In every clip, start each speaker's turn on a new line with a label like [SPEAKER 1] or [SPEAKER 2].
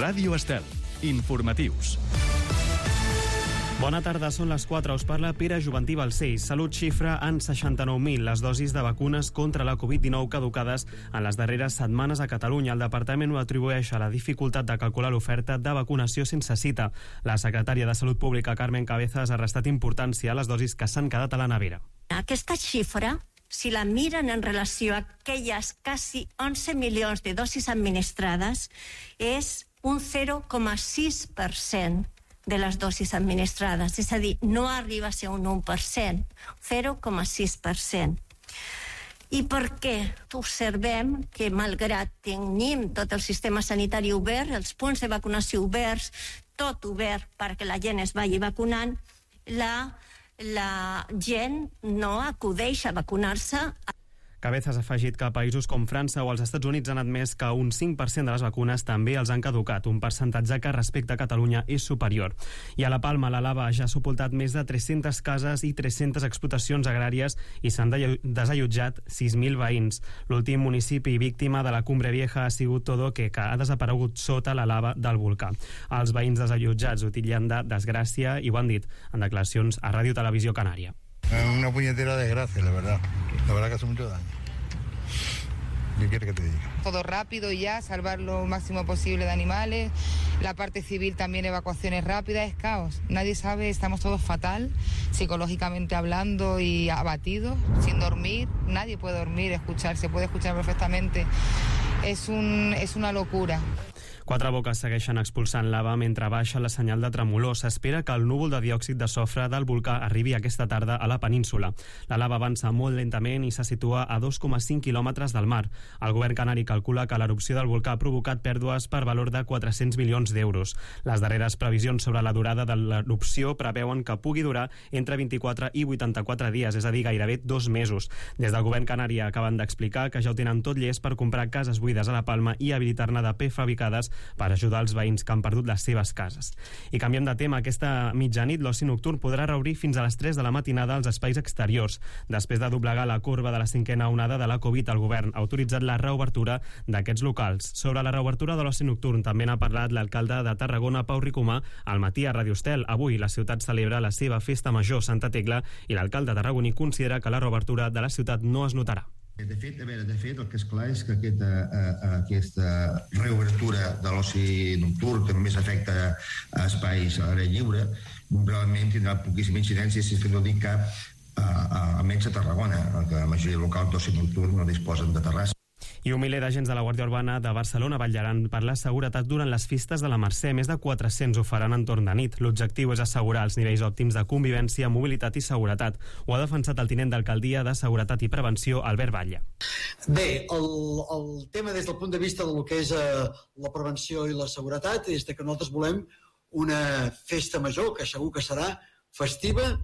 [SPEAKER 1] Ràdio Estel. Informatius.
[SPEAKER 2] Bona tarda, són les 4. Us parla Pere Juventí Balcells. Salut xifra en 69.000 les dosis de vacunes contra la Covid-19 caducades en les darreres setmanes a Catalunya. El departament ho atribueix a la dificultat de calcular l'oferta de vacunació sense cita. La secretària de Salut Pública, Carmen Cabezas, ha restat importància a les dosis que s'han quedat a la nevera.
[SPEAKER 3] Aquesta xifra, si la miren en relació a aquelles quasi 11 milions de dosis administrades, és un 0,6% de les dosis administrades, és a dir, no arriba a ser un 1%, 0,6%. I per què? Observem que malgrat tenim tot el sistema sanitari obert, els punts de vacunació oberts, tot obert perquè la gent es vagi vacunant, la gent no acudeix a vacunar-se.
[SPEAKER 2] Cabezas ha afegit que països com França o els Estats Units han admès que un 5% de les vacunes també els han caducat, un percentatge que respecte a Catalunya és superior. I a la Palma, la lava ja ha sepultat més de 300 cases i 300 explotacions agràries i s'han desallotjat 6.000 veïns. L'últim municipi víctima de la Cumbre Vieja ha sigut Todo, que ha desaparegut sota la lava del volcà. Els veïns desallotjats ho titllen de desgràcia i ho han dit en declaracions a Ràdio Televisió Canària.
[SPEAKER 4] Una puñetera desgracia, la verdad que hace mucho daño. ¿Qué quieres que te diga?
[SPEAKER 5] Todo rápido y ya, salvar lo máximo posible de animales, la parte civil también, evacuaciones rápidas, es caos. Nadie sabe, estamos todos fatal, psicológicamente hablando y abatidos, sin dormir, nadie puede dormir, se puede escuchar perfectamente. Es una locura.
[SPEAKER 2] Quatre boques segueixen expulsant lava mentre baixa la senyal de tremolor. S'espera que el núvol de diòxid de sofre del volcà arribi aquesta tarda a la península. La lava avança molt lentament i se situa a 2,5 quilòmetres del mar. El govern canari calcula que l'erupció del volcà ha provocat pèrdues per valor de 400 milions d'euros. Les darreres previsions sobre la durada de l'erupció preveuen que pugui durar entre 24 i 84 dies, és a dir, gairebé 2 mesos. Des del govern canari acaben d'explicar que ja ho tenen tot llest per comprar cases buides a la Palma i habilitar-ne de prefabricades per ajudar els veïns que han perdut les seves cases. I canviem de tema. Aquesta mitjanit l'oci nocturn podrà reobrir fins a les 3 de la matinada als espais exteriors. Després de doblegar la corba de la 5a onada de la Covid, el govern ha autoritzat la reobertura d'aquests locals. Sobre la reobertura de l'oci nocturn també n'ha parlat l'alcalde de Tarragona, Pau Ricomà, al matí a Radio Estel. Avui la ciutat celebra la seva festa major, Santa Tecla, i l'alcalde tarragoní considera que la reobertura de la ciutat no es notarà.
[SPEAKER 6] De fet, el que és clar és que aquesta reobertura de l'oci nocturn, que només afecta a espais a l'àrea lliure, realment tindrà poquíssima incidència, si no dic cap, almenys a Tarragona, que la majoria de locals d'oci nocturn no disposen de terrassa.
[SPEAKER 2] I un miler d'agents de la Guàrdia Urbana de Barcelona vetllaran per la seguretat durant les festes de la Mercè. Més de 400 ho faran en torn de nit. L'objectiu és assegurar els nivells òptims de convivència, mobilitat i seguretat. Ho ha defensat el tinent d'alcaldia de Seguretat i Prevenció, Albert Batlle.
[SPEAKER 7] Bé, el tema des del punt de vista del que és la prevenció i la seguretat és que nosaltres volem una festa major que segur que serà festiva,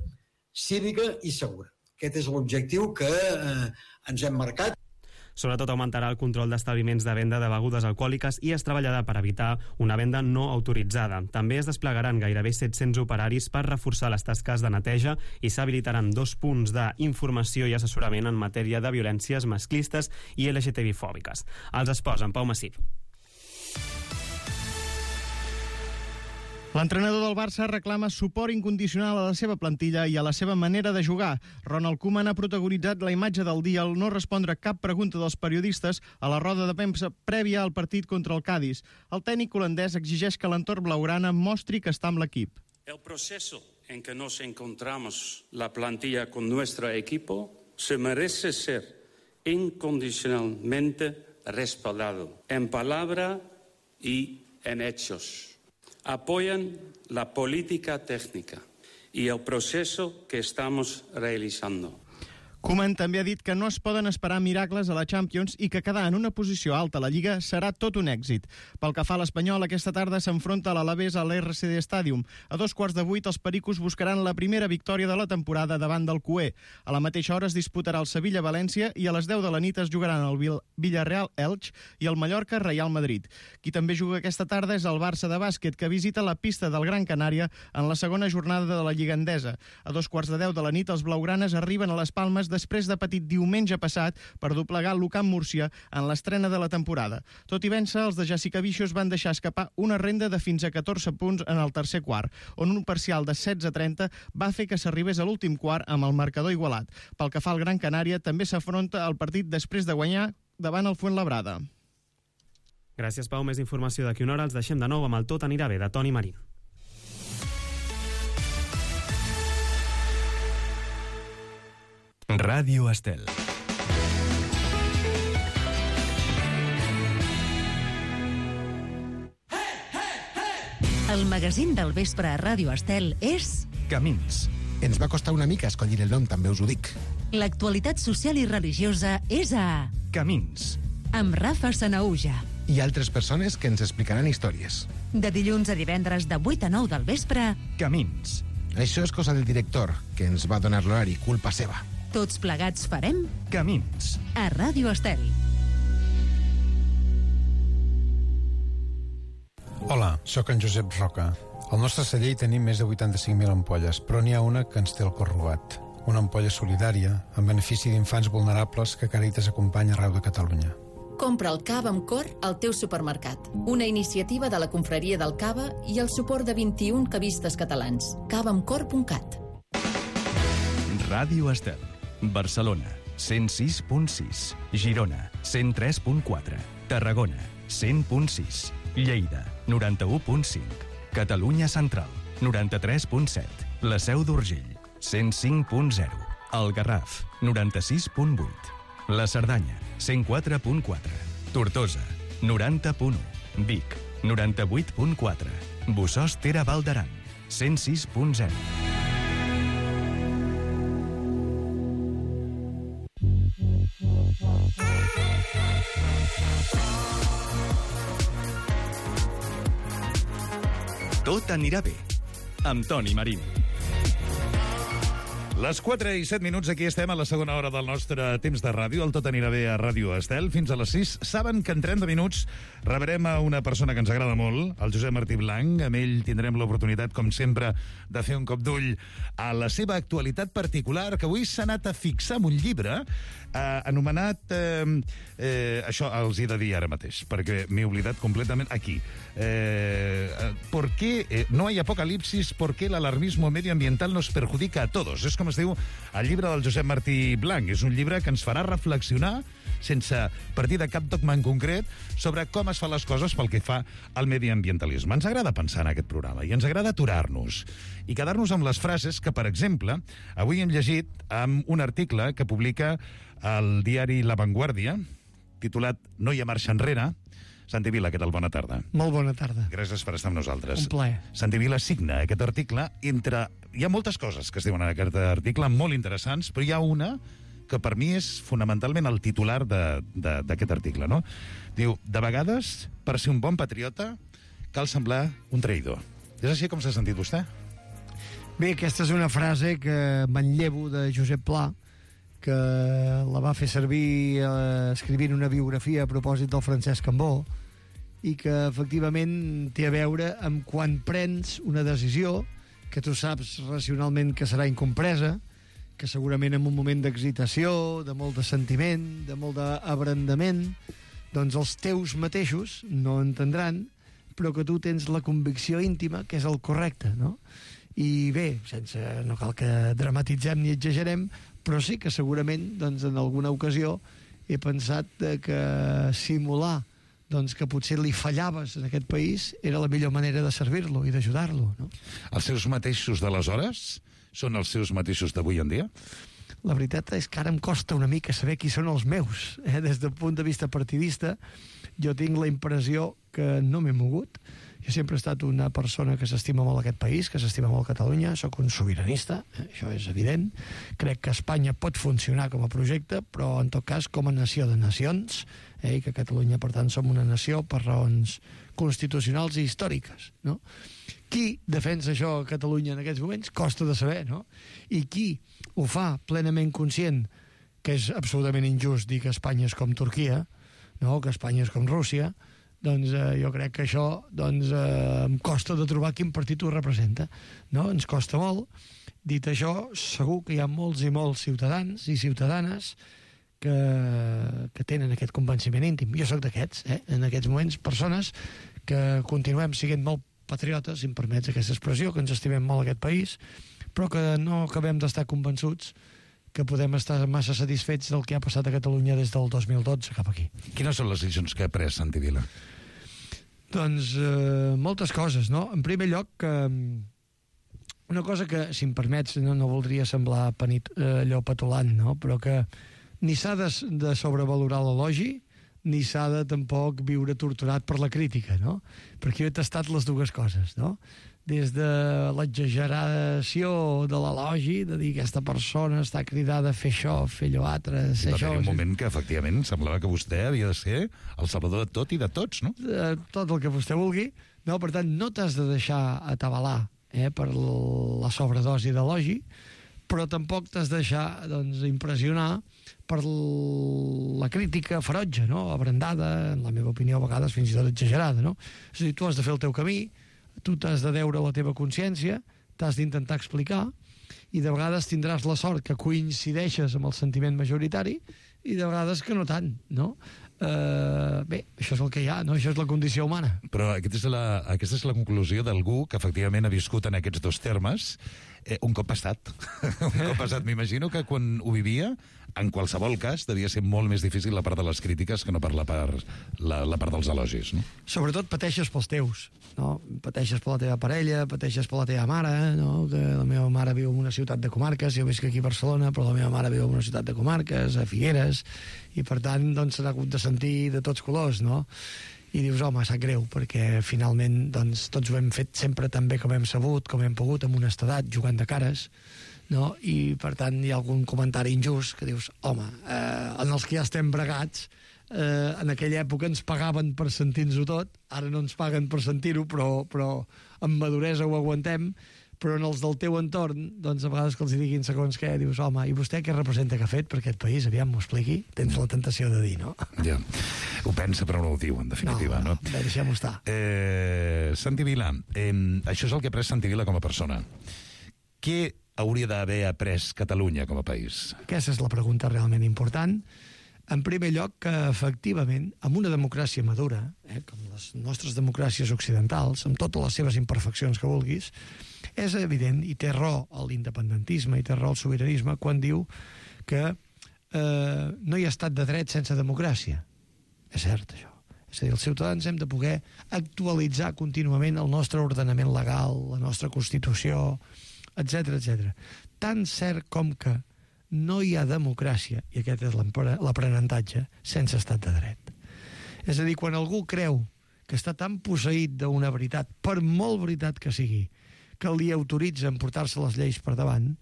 [SPEAKER 7] cívica i segura. Aquest és l'objectiu que ens hem marcat.
[SPEAKER 2] Sobretot augmentarà el control d'establiments de venda de begudes alcohòliques i es treballarà per evitar una venda no autoritzada. També es desplegaran gairebé 700 operaris per reforçar les tasques de neteja i s'habilitaran 2 punts d'informació i assessorament en matèria de violències masclistes i LGTB-fòbiques. Els esports, en Pau Massip.
[SPEAKER 8] L'entrenador del Barça reclama suport incondicional a la seva plantilla i a la seva manera de jugar. Ronald Koeman ha protagonitzat la imatge del dia al no respondre cap pregunta dels periodistes a la roda de premsa prèvia al partit contra el Cádiz. El tècnic holandès exigeix que l'entorn blaugrana mostri que està amb l'equip.
[SPEAKER 9] El proceso en que nos encontramos la plantilla con nuestro equipo se merece ser incondicionalmente respaldado en palabra y en hechos. Apoyan la política técnica y el proceso que estamos realizando.
[SPEAKER 8] Koeman també ha dit que no es poden esperar miracles a la Champions i que quedar en una posició alta a la Lliga serà tot un èxit. Pel que fa a l'Espanyol, aquesta tarda s'enfronta a l'Alavés a l'RCD Stadium. A 7:15 els pericos buscaran la primera victòria de la temporada davant del Cué. A la mateixa hora es disputarà el Sevilla-València i a les 10 de la nit es jugaran el Villarreal-Elx i el Mallorca-Real Madrid. Qui també juga aquesta tarda és el Barça de bàsquet, que visita la pista del Gran Canària en la segona jornada de la Lliga Endesa. A 2:15 de la nit els blaugranes arriben a les Palmes de després de patir diumenge passat per doblegar l'Ucamp Múrcia en l'estrena de la temporada. Tot i vèncer, els de Jessica Vicios van deixar escapar una renda de fins a 14 punts en el tercer quart, on un parcial de 16-30 va fer que s'arribés a l'últim quart amb el marcador igualat. Pel que fa al Gran Canària, també s'afronta al partit després de guanyar davant el Fuenlabrada.
[SPEAKER 2] Gràcies, Pau. Més informació d'aquí una hora. Els deixem de nou amb el Tot anirà bé, de Toni Marín.
[SPEAKER 1] Ràdio Estel.
[SPEAKER 10] El magazín del vespre a Ràdio Estel és...
[SPEAKER 1] Camins.
[SPEAKER 11] Ens va costar una mica escollir el nom, també us ho dic.
[SPEAKER 10] L'actualitat social i religiosa és a...
[SPEAKER 1] Camins.
[SPEAKER 10] Amb Rafa Sanaúja.
[SPEAKER 11] I altres persones que ens explicaran històries.
[SPEAKER 10] De dilluns a divendres de 8 a 9 del vespre...
[SPEAKER 1] Camins.
[SPEAKER 11] Això és cosa del director, que ens va donar l'horari, culpa seva.
[SPEAKER 10] Tots plegats farem...
[SPEAKER 1] Camins.
[SPEAKER 10] A Ràdio Estel.
[SPEAKER 12] Hola, sóc en Josep Roca. Al nostre celler hi tenim més de 85.000 ampolles, però n'hi ha una que ens té el cor robat. Una ampolla solidària, en benefici d'infants vulnerables que Càritas acompanya arreu de Catalunya.
[SPEAKER 13] Compra el cava amb cor al teu supermercat. Una iniciativa de la Confraria del Cava i el suport de 21 cavistes catalans. cavaamcor.cat.
[SPEAKER 1] Ràdio Estel. Barcelona, 106.6. Girona, 103.4. Tarragona, 100.6. Lleida, 91.5. Catalunya Central, 93.7. La Seu d'Urgell, 105.0. El Garraf, 96.8. La Cerdanya, 104.4. Tortosa, 90.1. Vic, 98.4. Bossòst Ter Val d'Aran, 106.0. Tot anirà bé, amb Toni Marín.
[SPEAKER 14] Les 4 i 7 minuts, aquí estem a la segona hora del nostre temps de ràdio. El Tot anirà bé a Ràdio Estel. Fins a les 6. Saben que en 30 minuts rebrem a una persona que ens agrada molt, el Josep Martí Blanc. Amb ell tindrem l'oportunitat, com sempre, de fer un cop d'ull a la seva actualitat particular, que avui s'ha anat a fixar en un llibre anomenat... això els he de dir ara mateix, perquè m'he oblidat completament aquí. ¿Por qué no hay apocalipsis? ¿Por qué el alarmismo medioambiental nos perjudica a todos? És com es diu el llibre del Josep Martí Blanc. És un llibre que ens farà reflexionar, sense partir de cap dogma en concret, sobre com es fan les coses pel que fa al mediambientalisme. Ens agrada pensar en aquest programa i ens agrada aturar-nos i quedar-nos amb les frases que, per exemple, avui hem llegit amb un article que publica el diari La Vanguardia, titulat No hi ha marxa enrere. Santi Vila, què tal? Bona tarda.
[SPEAKER 15] Molt bona tarda.
[SPEAKER 14] Gràcies per estar amb nosaltres.
[SPEAKER 15] Un plaer.
[SPEAKER 14] Santi Vila signa aquest article entre... Hi ha moltes coses que es diuen en aquest article, molt interessants, però hi ha una que per mi és fonamentalment el titular d'aquest article, no? Diu, de vegades, per ser un bon patriota, cal semblar un traïdor. És així com s'ha sentit vostè?
[SPEAKER 15] Bé, aquesta és una frase que manllevo de Josep Pla, que la va fer servir escrivint una biografia a propòsit del Francesc Cambó, i que efectivament té a veure amb quan prens una decisió que tu saps racionalment que serà incompresa, que segurament en un moment d'excitació, de molt de sentiment, de molt d'abrandament, doncs els teus mateixos no entendran, però que tu tens la convicció íntima que és el correcte, no? I bé, no cal que dramatitzem ni exagerem, però sí que segurament doncs, en alguna ocasió he pensat que simular doncs, que potser li fallaves en aquest país era la millor manera de servir-lo i d'ajudar-lo, no?
[SPEAKER 14] Els seus mateixos d'aleshores són els seus mateixos d'avui en dia?
[SPEAKER 15] La veritat és que ara em costa una mica saber qui són els meus. Des del punt de vista partidista, jo tinc la impressió que no m'he mogut. Jo sempre he estat una persona que s'estima molt aquest país, que s'estima molt Catalunya, sóc un sobiranista, això és evident. Crec que Espanya pot funcionar com a projecte, però en tot cas com a nació de nacions, i que Catalunya, per tant, som una nació per raons constitucionals i històriques, no? Qui defensa això a Catalunya en aquests moments? Costa de saber, no? I qui ho fa plenament conscient que és absolutament injust dir que Espanya és com Turquia, no? Que Espanya és com Rússia, doncs jo crec que això em costa de trobar quin partit ho representa, no? Ens costa molt. Dit això, segur que hi ha molts i molts ciutadans i ciutadanes que tenen aquest convenciment íntim. Jo sóc d'aquests, en aquests moments, persones que continuem sent molt patriotes, si em permets aquesta expressió, que ens estimem molt aquest país, però que no acabem d'estar convençuts que podem estar massa satisfets del que ha passat a Catalunya des del 2012 cap aquí.
[SPEAKER 14] Quines són les decisions que ha pres Santi Vila?
[SPEAKER 15] Doncs moltes coses, no? En primer lloc, una cosa que, si em permets, no voldria semblar allò petulant, no? Però que ni s'ha de sobrevalorar l'elogi, ni s'ha de tampoc viure torturat per la crítica, no? Perquè jo he tastat les dues coses, no? Des de l'exageració de l'elogi, de dir aquesta persona està cridada a fer això, fer allò altre, ser això...
[SPEAKER 14] Va haver un moment que, efectivament, semblava que vostè havia de ser el salvador de tot i de tots, no?
[SPEAKER 15] Tot el que vostè vulgui. No, per tant, no t'has de deixar atabalar per la sobredosi d'elogi, però tampoc t'has de deixar impressionar per la crítica ferotge, no? Abrandada, en la meva opinió, a vegades fins i tot exagerada, no? És a dir, tu has de fer el teu camí, tu t'has de deure la teva consciència, t'has d'intentar explicar, i de vegades tindràs la sort que coincideixes amb el sentiment majoritari, i de vegades que no tant, no? Bé, això és el que hi ha, no? Això és la condició humana.
[SPEAKER 14] Però aquesta és la conclusió d'algú que efectivament ha viscut en aquests dos termes un cop passat. Un cop passat, m'imagino que quan ho vivia, en qualsevol cas, devia ser molt més difícil la part de les crítiques que no per la part dels elogis, no?
[SPEAKER 15] Sobretot pateixes pels teus, no? Pateixes per la teva parella, pateixes per la teva mare, no? Que la meva mare viu en una ciutat de comarques, jo visc aquí a Barcelona, però la meva mare viu en una ciutat de comarques, a Figueres, i per tant doncs s'ha hagut de sentir de tots colors, no? I dius, home, sap greu, perquè finalment doncs, tots ho hem fet sempre tan bé com hem sabut, com hem pogut, amb honestedat, jugant de cares, no? I per tant hi ha algun comentari injust que dius, home, en els que ja estem bregats, en aquella època ens pagaven per sentir-nos-ho tot, ara no ens paguen per sentir-ho, però amb maduresa ho aguantem, però en els del teu entorn, doncs a vegades que els diguin segons què, dius, home, i vostè què representa que ha fet per aquest país? Aviam, m'ho expliqui. Tens la tentació de dir, no?
[SPEAKER 14] Ja, ho pensa però no ho diu, en definitiva, no?
[SPEAKER 15] Bé, deixem-ho estar.
[SPEAKER 14] Santi Vila, això és el que ha pres Santi Vila com a persona. Què hauria d'haver après Catalunya com a país?
[SPEAKER 15] Aquesta és la pregunta realment important. En primer lloc, que efectivament, amb una democràcia madura, com les nostres democràcies occidentals, amb totes les seves imperfeccions que vulguis, és evident, i té raó l'independentisme, i té raó el sobiranisme, quan diu que no hi ha estat de dret sense democràcia. És cert, això. És a dir, els ciutadans hem de poder actualitzar contínuament el nostre ordenament legal, la nostra Constitució, etc etc. Tan cert com que no hi ha democràcia, i aquest és l'aprenentatge, sense estat de dret. És a dir, quan algú creu que està tan posseït d'una veritat, per molt veritat que sigui, que li autoritza a portar-se les lleis per davant,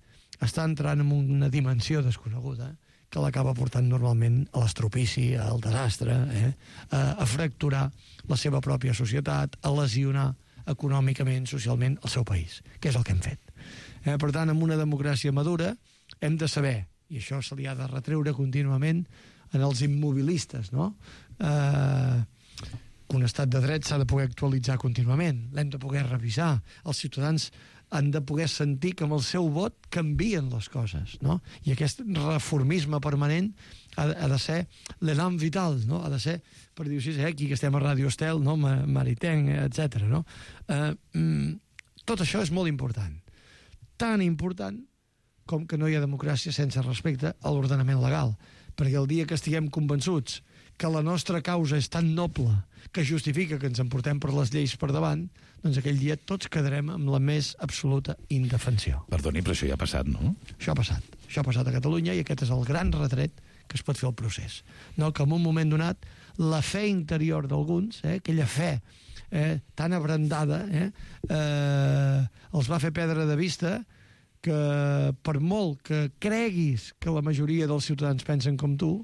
[SPEAKER 15] està entrant en una dimensió desconeguda que l'acaba portant normalment a l'estropici, al desastre, a fracturar la seva pròpia societat, a lesionar econòmicament, socialment, el seu país, que és el que hem fet. Per tant, amb una democràcia madura hem de saber, i això se li ha de retreure contínuament en els immobilistes, no? Un estat de dret s'ha de poder actualitzar contínuament, l'hem de poder revisar, els ciutadans han de poder sentir que amb el seu vot canvien les coses, no? I aquest reformisme permanent ha de ser l'elan vital, no? Ha de ser, per dir-ho així, aquí que estem a Ràdio Estel, no? Maritenc, etc. No? Tot això és molt important. Tan important com que no hi ha democràcia sense respecte a l'ordenament legal. Perquè el dia que estiguem convençuts que la nostra causa és tan noble que justifica que ens emportem per les lleis per davant, doncs aquell dia tots quedarem amb la més absoluta indefensió.
[SPEAKER 14] Perdoni, però això ja ha passat, no?
[SPEAKER 15] Això ha passat. Això ha passat a Catalunya i aquest és el gran retret que es pot fer al procés. No, que en un moment donat la fe interior d'alguns, aquella fe tan abrandada, els va fer perdre de vista que per molt que creguis que la majoria dels ciutadans pensen com tu,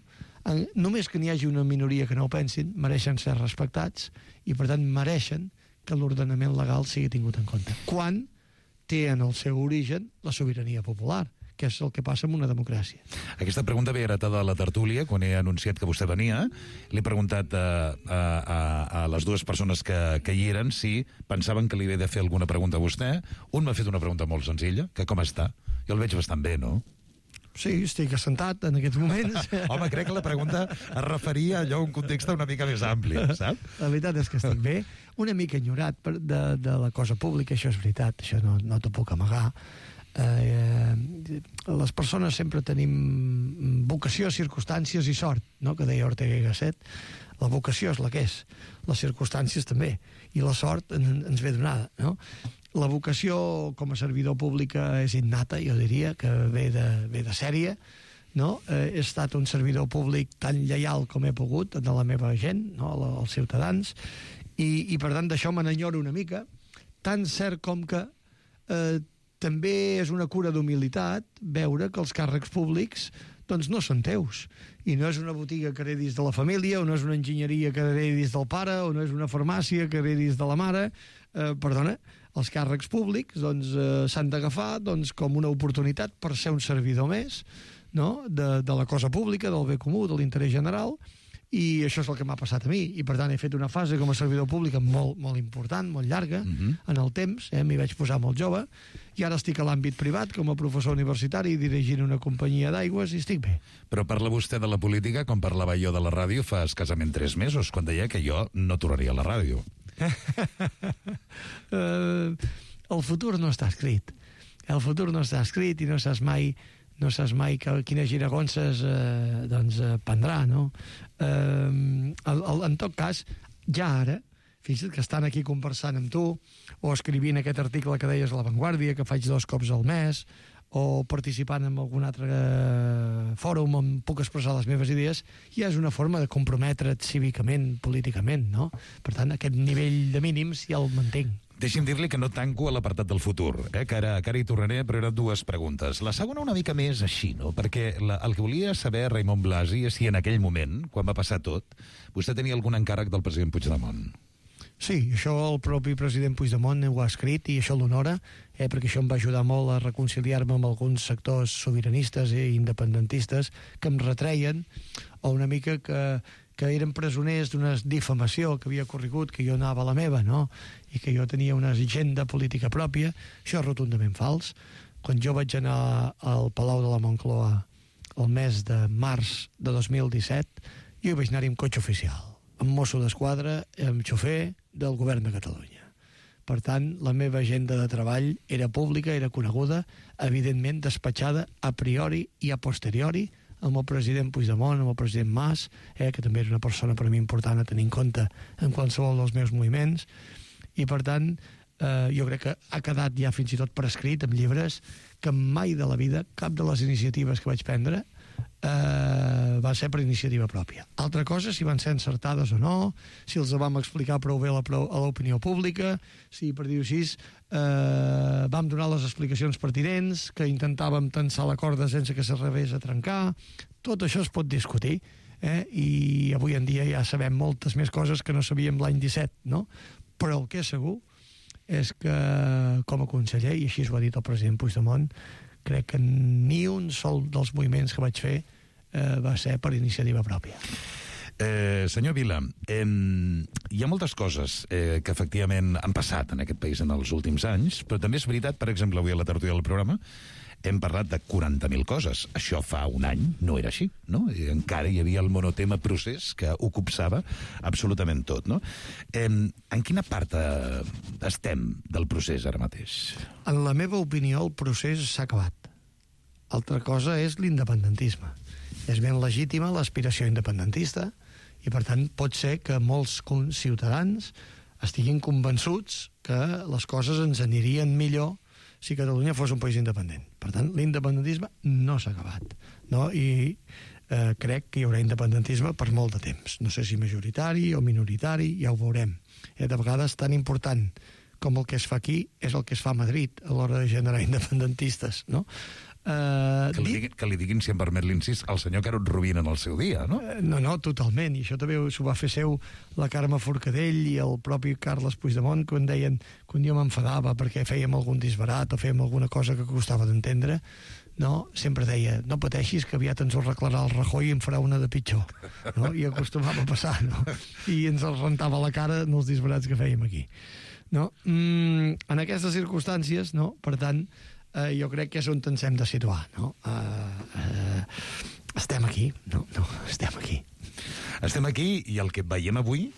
[SPEAKER 15] només que n'hi hagi una minoria que no ho pensin, mereixen ser respectats i, per tant, mereixen que l'ordenament legal sigui tingut en compte. Quan té en el seu origen la sobirania popular, que és el que passa en una democràcia.
[SPEAKER 14] Aquesta pregunta ve heretada de la tertúlia, quan he anunciat que vostè venia. Li he preguntat a les dues persones que hi eren si pensaven que li havia de fer alguna pregunta a vostè. Un m'ha fet una pregunta molt senzilla, que com està? Jo el veig bastant bé, no?
[SPEAKER 15] Sí, estic assentat en aquests moments.
[SPEAKER 14] Home, crec que la pregunta es referia a allò un context una mica més ampli, sap?
[SPEAKER 15] La veritat és que estic bé, una mica enyorat de la cosa pública, això és veritat, això no t'ho puc amagar. Les persones sempre tenim vocació, circumstàncies i sort, no? Que deia Ortega y Gasset. La vocació és la que és, les circumstàncies també, i la sort ens ve donada, no? La vocació com a servidor pública és innata, jo diria, que ve de sèrie, no? He estat un servidor públic tan lleial com he pogut a la meva gent, no? Als ciutadans, i per tant d'això me n'enyoro una mica, tan cert com que també és una cura d'humilitat veure que els càrrecs públics doncs no són teus, i no és una botiga que heredis de la família, o no és una enginyeria que heredis del pare, o no és una farmàcia que heredis de la mare. Perdona, els càrrecs públics doncs, s'han d'agafar doncs, com una oportunitat per ser un servidor més, no? de la cosa pública, del bé comú, de l'interès general, i això és el que m'ha passat a mi, i per tant he fet una fase com a servidor públic molt, molt important, molt llarga, en el temps, m'hi vaig posar molt jove, i ara estic a l'àmbit privat com a professor universitari dirigint una companyia d'aigües i estic bé.
[SPEAKER 14] Però parla vostè de la política com parlava jo de la ràdio fa escassament 3 mesos, quan deia que jo no tornaria a la ràdio.
[SPEAKER 15] El futur no està escrit. El futur no està escrit i no saps mai quines giragonses prendrà, no? En tot cas, ja ara, fixa't que estan aquí conversant amb tu, o escrivint aquest article que deies a La Vanguardia, que faig 2 cops al mes, o participant en algun altre fòrum on puc expressar les meves idees, ja és una forma de comprometre't cívicament, políticament, no? Per tant, aquest nivell de mínims ja el mantenc.
[SPEAKER 14] Deixi'm dir-li que no tanco a l'apartat del futur, que ara hi tornaré, però eren 2 preguntes. La segona una mica més així, no? Perquè el que volia saber Raimon Blasi és si en aquell moment, quan va passar tot, vostè tenia algun encàrrec del president Puigdemont.
[SPEAKER 15] Sí, això el propi president Puigdemont ho ha escrit i això l'honora, perquè això em va ajudar molt a reconciliar-me amb alguns sectors sobiranistes i independentistes que em retreien, o una mica que eren presoners d'una difamació que havia corregut, que jo anava a la meva, no? I que jo tenia una agenda política pròpia. Això és rotundament fals. Quan jo vaig anar al Palau de la Moncloa el mes de març de 2017, jo hi vaig anar-hi amb cotxe oficial, amb mosso d'esquadra, amb xofer del govern de Catalunya. Per tant, la meva agenda de treball era pública, era coneguda, evidentment despatxada a priori i a posteriori amb el president Puigdemont, amb el president Mas, que també era una persona per a mi important a tenir en compte en qualsevol dels meus moviments, i per tant jo crec que ha quedat ja fins i tot per escrit en llibres que mai de la vida cap de les iniciatives que vaig prendre va ser per iniciativa pròpia. Altra cosa, si van ser encertades o no, si els vam explicar prou bé a l'opinió pública, si, per dir-ho així, vam donar les explicacions pertinents, que intentàvem tensar la corda sense que s'arribés a trencar. Tot això es pot discutir, i avui en dia ja sabem moltes més coses que no sabíem l'any 17, no? Però el que és segur és que, com a conseller, i així ho ha dit el president Puigdemont, crec que ni un sol dels moviments que vaig fer va ser per iniciativa pròpia.
[SPEAKER 14] Senyor Vila, hi ha moltes coses que efectivament han passat en aquest país en els últims anys, però també és veritat, per exemple, avui a la tertúlia del programa hem parlat de 40.000 coses. Això fa un any no era així, no? I encara hi havia el monotema procés que ho copsava absolutament tot, no? En quina part estem del procés ara mateix?
[SPEAKER 15] En la meva opinió, el procés s'ha acabat. Altra cosa és l'independentisme. És ben legítima l'aspiració independentista i, per tant, pot ser que molts ciutadans estiguin convençuts que les coses ens anirien millor si Catalunya fos un país independent. Per tant, l'independentisme no s'ha acabat, no? I crec que hi haurà independentisme per molt de temps. No sé si majoritari o minoritari, ja ho veurem. De vegades tan important com el que es fa aquí és el que es fa a Madrid a l'hora de generar independentistes, no?
[SPEAKER 14] Que li diguin, si em permet l'incís, al senyor Carod Rovira en el seu dia, no?
[SPEAKER 15] No, totalment, i això també s'ho va fer seu la Carme Forcadell i el propi Carles Puigdemont, quan deien que un dia m'enfadava perquè fèiem algun disbarat o fèiem alguna cosa que costava d'entendre, no? Sempre deia, no pateixis que aviat ens ho arreglarà el Rajoy i en farà una de pitjor, no? I acostumava a passar, no? I ens el rentava la cara en els disbarats que fèiem aquí, no? En aquestes circumstàncies, no? Per tant, jo crec que és on ens hem de situar, no? Estem aquí, no, estem aquí.
[SPEAKER 14] Estem aquí i el que veiem avui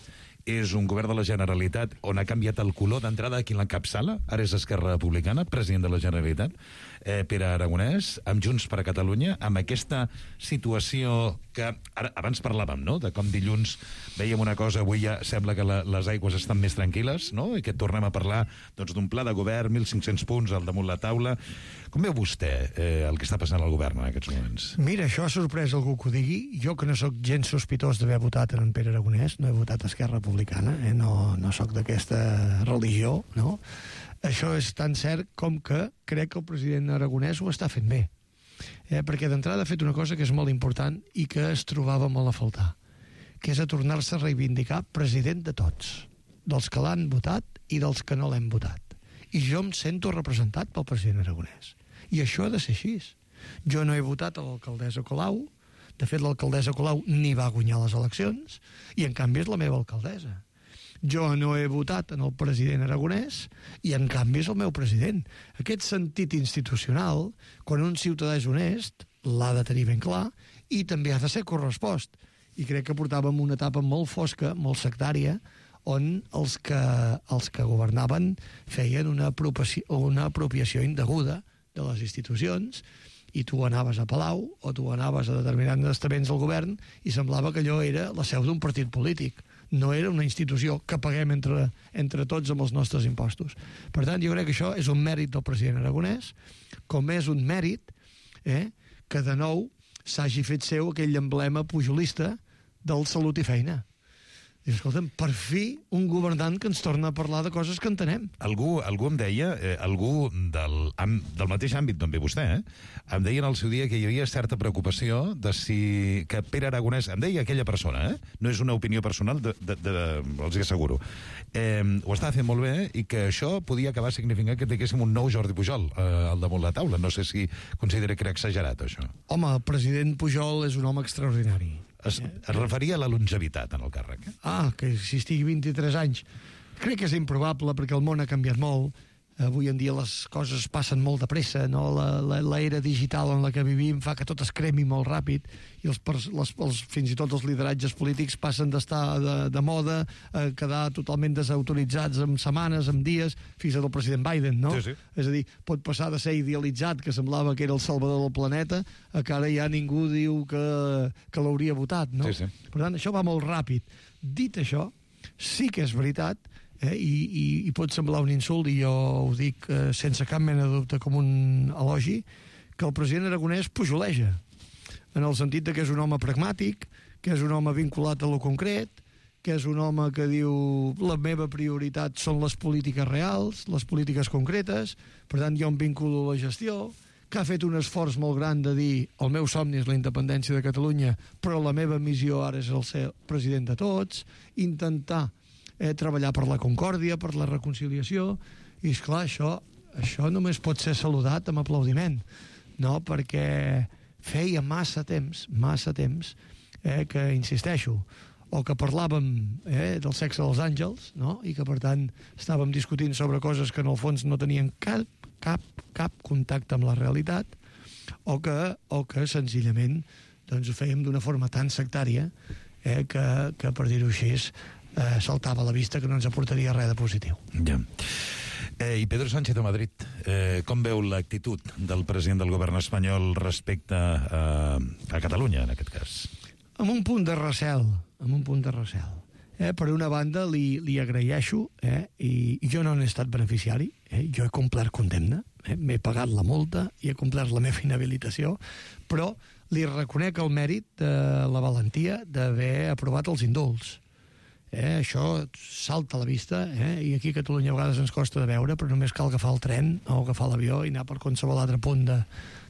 [SPEAKER 14] és un govern de la Generalitat on ha canviat el color d'entrada a qui l'encapçala. Ara és Esquerra Republicana, president de la Generalitat, Pere Aragonès, amb Junts per a Catalunya, amb aquesta situació que abans parlàvem, no?, de com dilluns veiem una cosa, avui ja sembla que les aigües estan més tranquil·les, no?, i que tornem a parlar d'un pla de govern, 1.500 punts al damunt la taula. Com veu vostè el que està passant al govern en aquests moments?
[SPEAKER 15] Mira, això ha sorprès algú que ho digui. Jo, que no sóc gens sospitós d'haver votat en Pere Aragonès, no he votat a Esquerra Republicana, no sóc d'aquesta religió, no? Això és tan cert com que crec que el president Aragonès ho està fent bé. Perquè d'entrada ha fet una cosa que és molt important i que es trobava molt a faltar, que és a tornar-se a reivindicar president de tots, dels que l'han votat i dels que no l'hem votat. I jo em sento representat pel president Aragonès. I això ha de ser així. Jo no he votat a l'alcaldessa Colau, de fet l'alcaldessa Colau ni va guanyar les eleccions, i en canvi és la meva alcaldessa. Jo no he votat en el president Aragonès i en canvi és el meu president. Aquest sentit institucional, quan un ciutadà és honest, l'ha de tenir ben clar i també ha de ser correspost. I crec que portàvem una etapa molt fosca, molt sectària, on els que governaven feien una apropiació indeguda de les institucions, i tu anaves a Palau o tu anaves a determinats estaments del govern i semblava que allò era la seu d'un partit polític. No era una institució que paguem entre tots amb els nostres impostos. Per tant, jo crec que això és un mèrit del president Aragonès, com és un mèrit que de nou s'hagi fet seu aquell emblema pujolista del salut i feina. Dius, escolta'm, per fi un governant que ens torna a parlar de coses que entenem.
[SPEAKER 14] Algú em deia, algú del mateix àmbit d'on ve vostè, em deia en el seu dia que hi havia certa preocupació de si que Pere Aragonès, em deia aquella persona, no és una opinió personal, els hi asseguro, ho estava fent molt bé i que això podia acabar significant que tinguéssim un nou Jordi Pujol al damunt la taula. No sé si considera que era exagerat, això.
[SPEAKER 15] Home, el president Pujol és un home extraordinari.
[SPEAKER 14] Es referia a la longevitat en el càrrec.
[SPEAKER 15] Que si estigui 23 anys. Crec que és improbable perquè el món ha canviat molt. Avui en dia les coses passen molt de pressa, no? L'era digital en la que vivim fa que tot es cremi molt ràpid i fins i tot els lideratges polítics passen d'estar de moda a quedar totalment desautoritzats en setmanes, en dies, fins al president Biden, no?
[SPEAKER 14] Sí.
[SPEAKER 15] És a dir, pot passar de ser idealitzat, que semblava que era el salvador del planeta, a que ara ja ningú diu que l'hauria votat, no?
[SPEAKER 14] Sí.
[SPEAKER 15] Per tant, això va molt ràpid. Dit això, sí que és veritat, i pot semblar un insult, i jo ho dic sense cap mena de dubte com un elogi, que el president Aragonès pujoleja, en el sentit que és un home pragmàtic, que és un home vinculat a lo concret, que és un home que diu la meva prioritat són les polítiques reals, les polítiques concretes, per tant jo em vinculo a la gestió, que ha fet un esforç molt gran de dir el meu somni és la independència de Catalunya, però la meva missió ara és el ser president de tots, intentar treballar per la concòrdia, per la reconciliació, i esclar, això només pot ser saludat amb aplaudiment, no? Perquè feia massa temps que, insisteixo, o que parlàvem del sexe dels àngels, no? I que per tant estàvem discutint sobre coses que en el fons no tenien cap contacte amb la realitat, o que senzillament doncs, ho fèiem d'una forma tan sectària que per dir-ho així, saltava a la vista que no ens aportaria res de positiu.
[SPEAKER 14] Ja. I Pedro Sánchez a Madrid, com veu l'actitud del president del govern espanyol respecte a Catalunya, en aquest cas?
[SPEAKER 15] Amb un punt de recel. Per una banda, li agraeixo, i jo no n'he estat beneficiari, jo he complert condemna, m'he pagat la multa i he complert la meva inhabilitació, però li reconec el mèrit de la valentia d'haver aprovat els indults. Això salta a la vista, i aquí a Catalunya a vegades ens costa de veure, però només cal agafar el tren o agafar l'avió i anar per qualsevol altre punt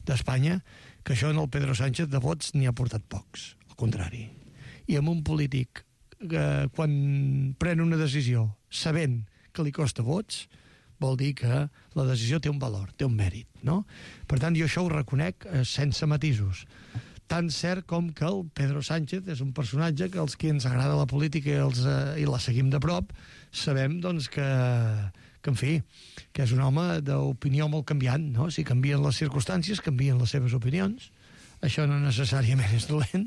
[SPEAKER 15] d'Espanya, que això en el Pedro Sánchez de vots n'hi ha portat pocs, al contrari. I amb un polític que quan pren una decisió sabent que li costa vots, vol dir que la decisió té un valor, té un mèrit, no? Per tant, jo això ho reconec sense matisos. Tan cert com que el Pedro Sánchez és un personatge que els que ens agrada la política i la seguim de prop sabem doncs, que en fi, que és un home d'opinió molt canviant, no? Si canvien les circumstàncies, canvien les seves opinions. Això no necessàriament és dolent.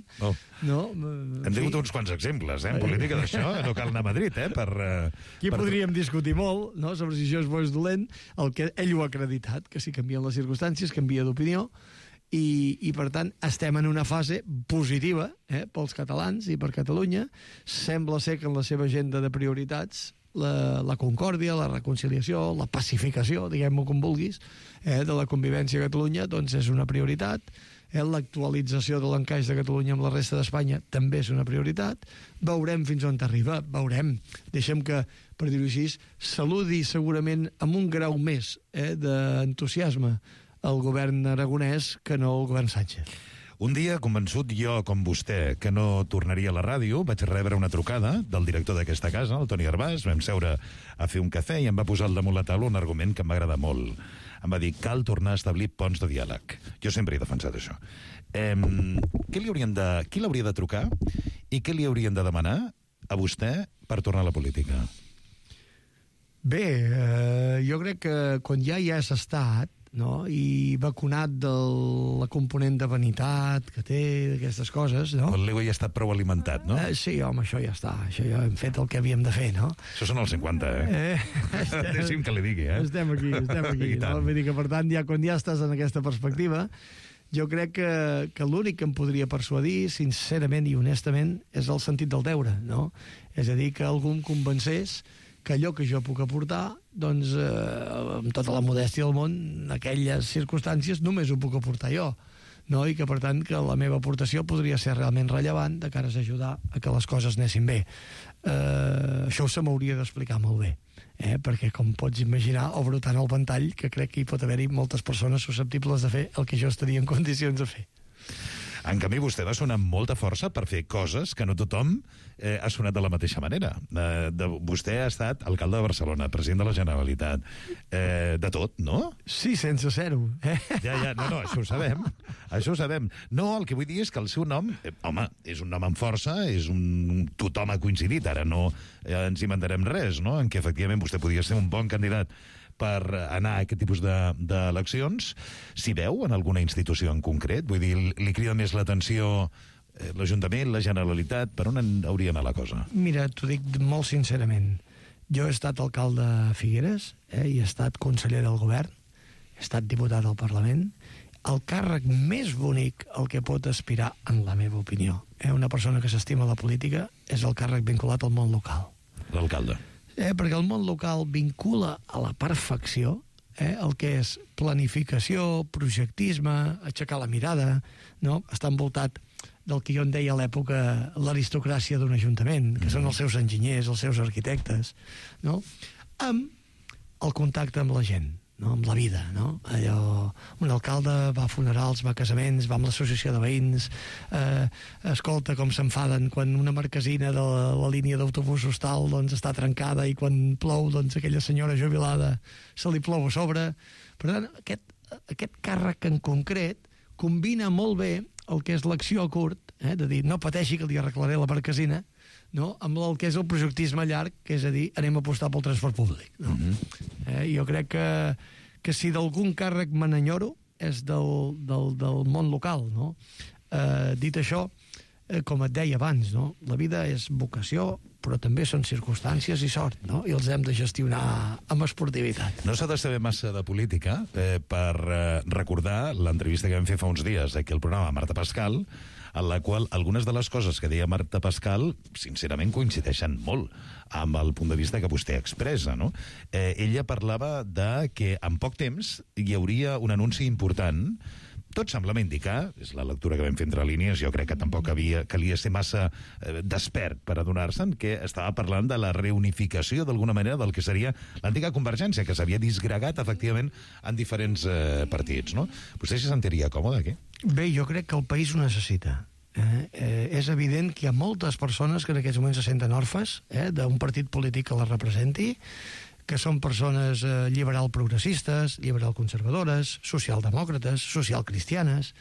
[SPEAKER 15] No?
[SPEAKER 14] Hem tingut uns quants exemples, en política d'això. No cal anar a Madrid,
[SPEAKER 15] Aquí podríem discutir molt, no?, sobre si això és bo o és dolent. El que ell ho ha acreditat, que si canvien les circumstàncies, canvia d'opinió, i per tant estem en una fase positiva pels catalans i per Catalunya. Sembla ser que en la seva agenda de prioritats la concòrdia, la reconciliació, la pacificació, diguem-ho com vulguis, de la convivència a Catalunya, doncs és una prioritat. L'actualització de l'encaix de Catalunya amb la resta d'Espanya també és una prioritat. Veurem fins on arriba, veurem. Deixem que, per dir-ho així, saludi segurament amb un grau més d'entusiasme el govern aragonès que no el govern Sánchez.
[SPEAKER 14] Un dia, convençut jo, com vostè, que no tornaria a la ràdio, vaig rebre una trucada del director d'aquesta casa, el Toni Arbàs, vam seure a fer un cafè i em va posar al damunt la taula un argument que em va agradar molt. Em va dir, cal tornar a establir ponts de diàleg. Jo sempre he defensat això. Qui l'hauria de trucar i què li haurien de demanar a vostè per tornar a la política?
[SPEAKER 15] Bé, jo crec que quan ja hi has estat, no? I vacunat de la component de vanitat que té, d'aquestes coses, no?
[SPEAKER 14] L'ego ja ha estat prou alimentat, no?
[SPEAKER 15] Sí, home, això ja està. Això ja hem fet el que havíem de fer, no?
[SPEAKER 14] Això són els 50, Deixi'm que li digui,
[SPEAKER 15] Estem aquí, no? Vull dir que, per tant, ja quan ja estàs en aquesta perspectiva, jo crec que l'únic que em podria persuadir, sincerament i honestament, és el sentit del deure, no? És a dir, que algú em convencés que allò que jo puc aportar, doncs, amb tota la modèstia del món, en aquelles circumstàncies només ho puc aportar jo, no? I que, per tant, que la meva aportació podria ser realment rellevant de cara a ajudar a que les coses anessin bé. Això se m'hauria d'explicar molt bé, perquè, com pots imaginar, obro tant el ventall que crec que hi pot haver-hi moltes persones susceptibles de fer el que jo estaria en condicions de fer.
[SPEAKER 14] En canvi, vostè va sonar amb molta força per fer coses que no tothom ha sonat de la mateixa manera. Vostè ha estat alcalde de Barcelona, president de la Generalitat, de tot, no?
[SPEAKER 15] Sí, sense ser-ho.
[SPEAKER 14] Ja, no, això ho sabem. Això ho sabem. No, el que vull dir és que el seu nom, home, és un nom amb força, tothom ha coincidit, ara no ens inventarem res, no?, en què efectivament vostè podia ser un bon candidat per anar a aquest tipus d'eleccions. S'hi veu en alguna institució en concret? Vull dir, li crida més l'atenció l'Ajuntament, la Generalitat? Per on hauria d'anar la cosa?
[SPEAKER 15] Mira, t'ho dic molt sincerament. Jo he estat alcalde de Figueres, i he estat conseller del govern, he estat diputat al Parlament. El càrrec més bonic al que pot aspirar, en la meva opinió, una persona que s'estima la política, és el càrrec vinculat al món local.
[SPEAKER 14] L'alcalde.
[SPEAKER 15] Perquè el món local vincula a la perfecció el que és planificació, projectisme, aixecar la mirada, no? Està envoltat del que jo en deia a l'època l'aristocràcia d'un ajuntament, que són els seus enginyers, els seus arquitectes, no? Amb el contacte amb la gent, no? Amb la vida, no? Allò, un alcalde va a funerals, va a casaments, va amb l'associació de veïns, escolta com s'enfaden quan una marquesina de la línia d'autobusos tal, doncs, està trencada, i quan plou, doncs, aquella senyora jubilada se li plou a sobre. Per tant, aquest càrrec en concret combina molt bé el que és l'acció a curt, de dir, no pateixi que li arreglaré la marquesina, no? Amb el que és el projectisme llarg, que és a dir, anem a apostar pel transport públic, no? Jo crec que si d'algun càrrec me n'enyoro és del món local, no? Dit això, com et deia abans, no? La vida és vocació, però també són circumstàncies i sort, no? I els hem de gestionar amb esportivitat.
[SPEAKER 14] No s'ha de saber massa de política per recordar l'entrevista que vam fer fa uns dies aquí al programa Marta Pascal, en la qual algunes de les coses que deia Marta Pascal, sincerament, coincideixen molt amb el punt de vista que vostè expressa, no? Ella parlava de que en poc temps hi hauria un anunci important. Tot semblava indicar, és la lectura que vam fer entre línies, jo crec que tampoc calia ser massa despert per adonar-se'n, que estava parlant de la reunificació d'alguna manera del que seria l'antiga Convergència, que s'havia disgregat efectivament en diferents partits, no? Vostè s'hi sentiria còmode aquí?
[SPEAKER 15] Bé, jo crec que el país ho necessita. És evident que hi ha moltes persones que en aquests moments se senten orfes d'un partit polític que les representi, que són persones liberal-progressistes, liberal-conservadores, socialdemòcrates, social-cristianes,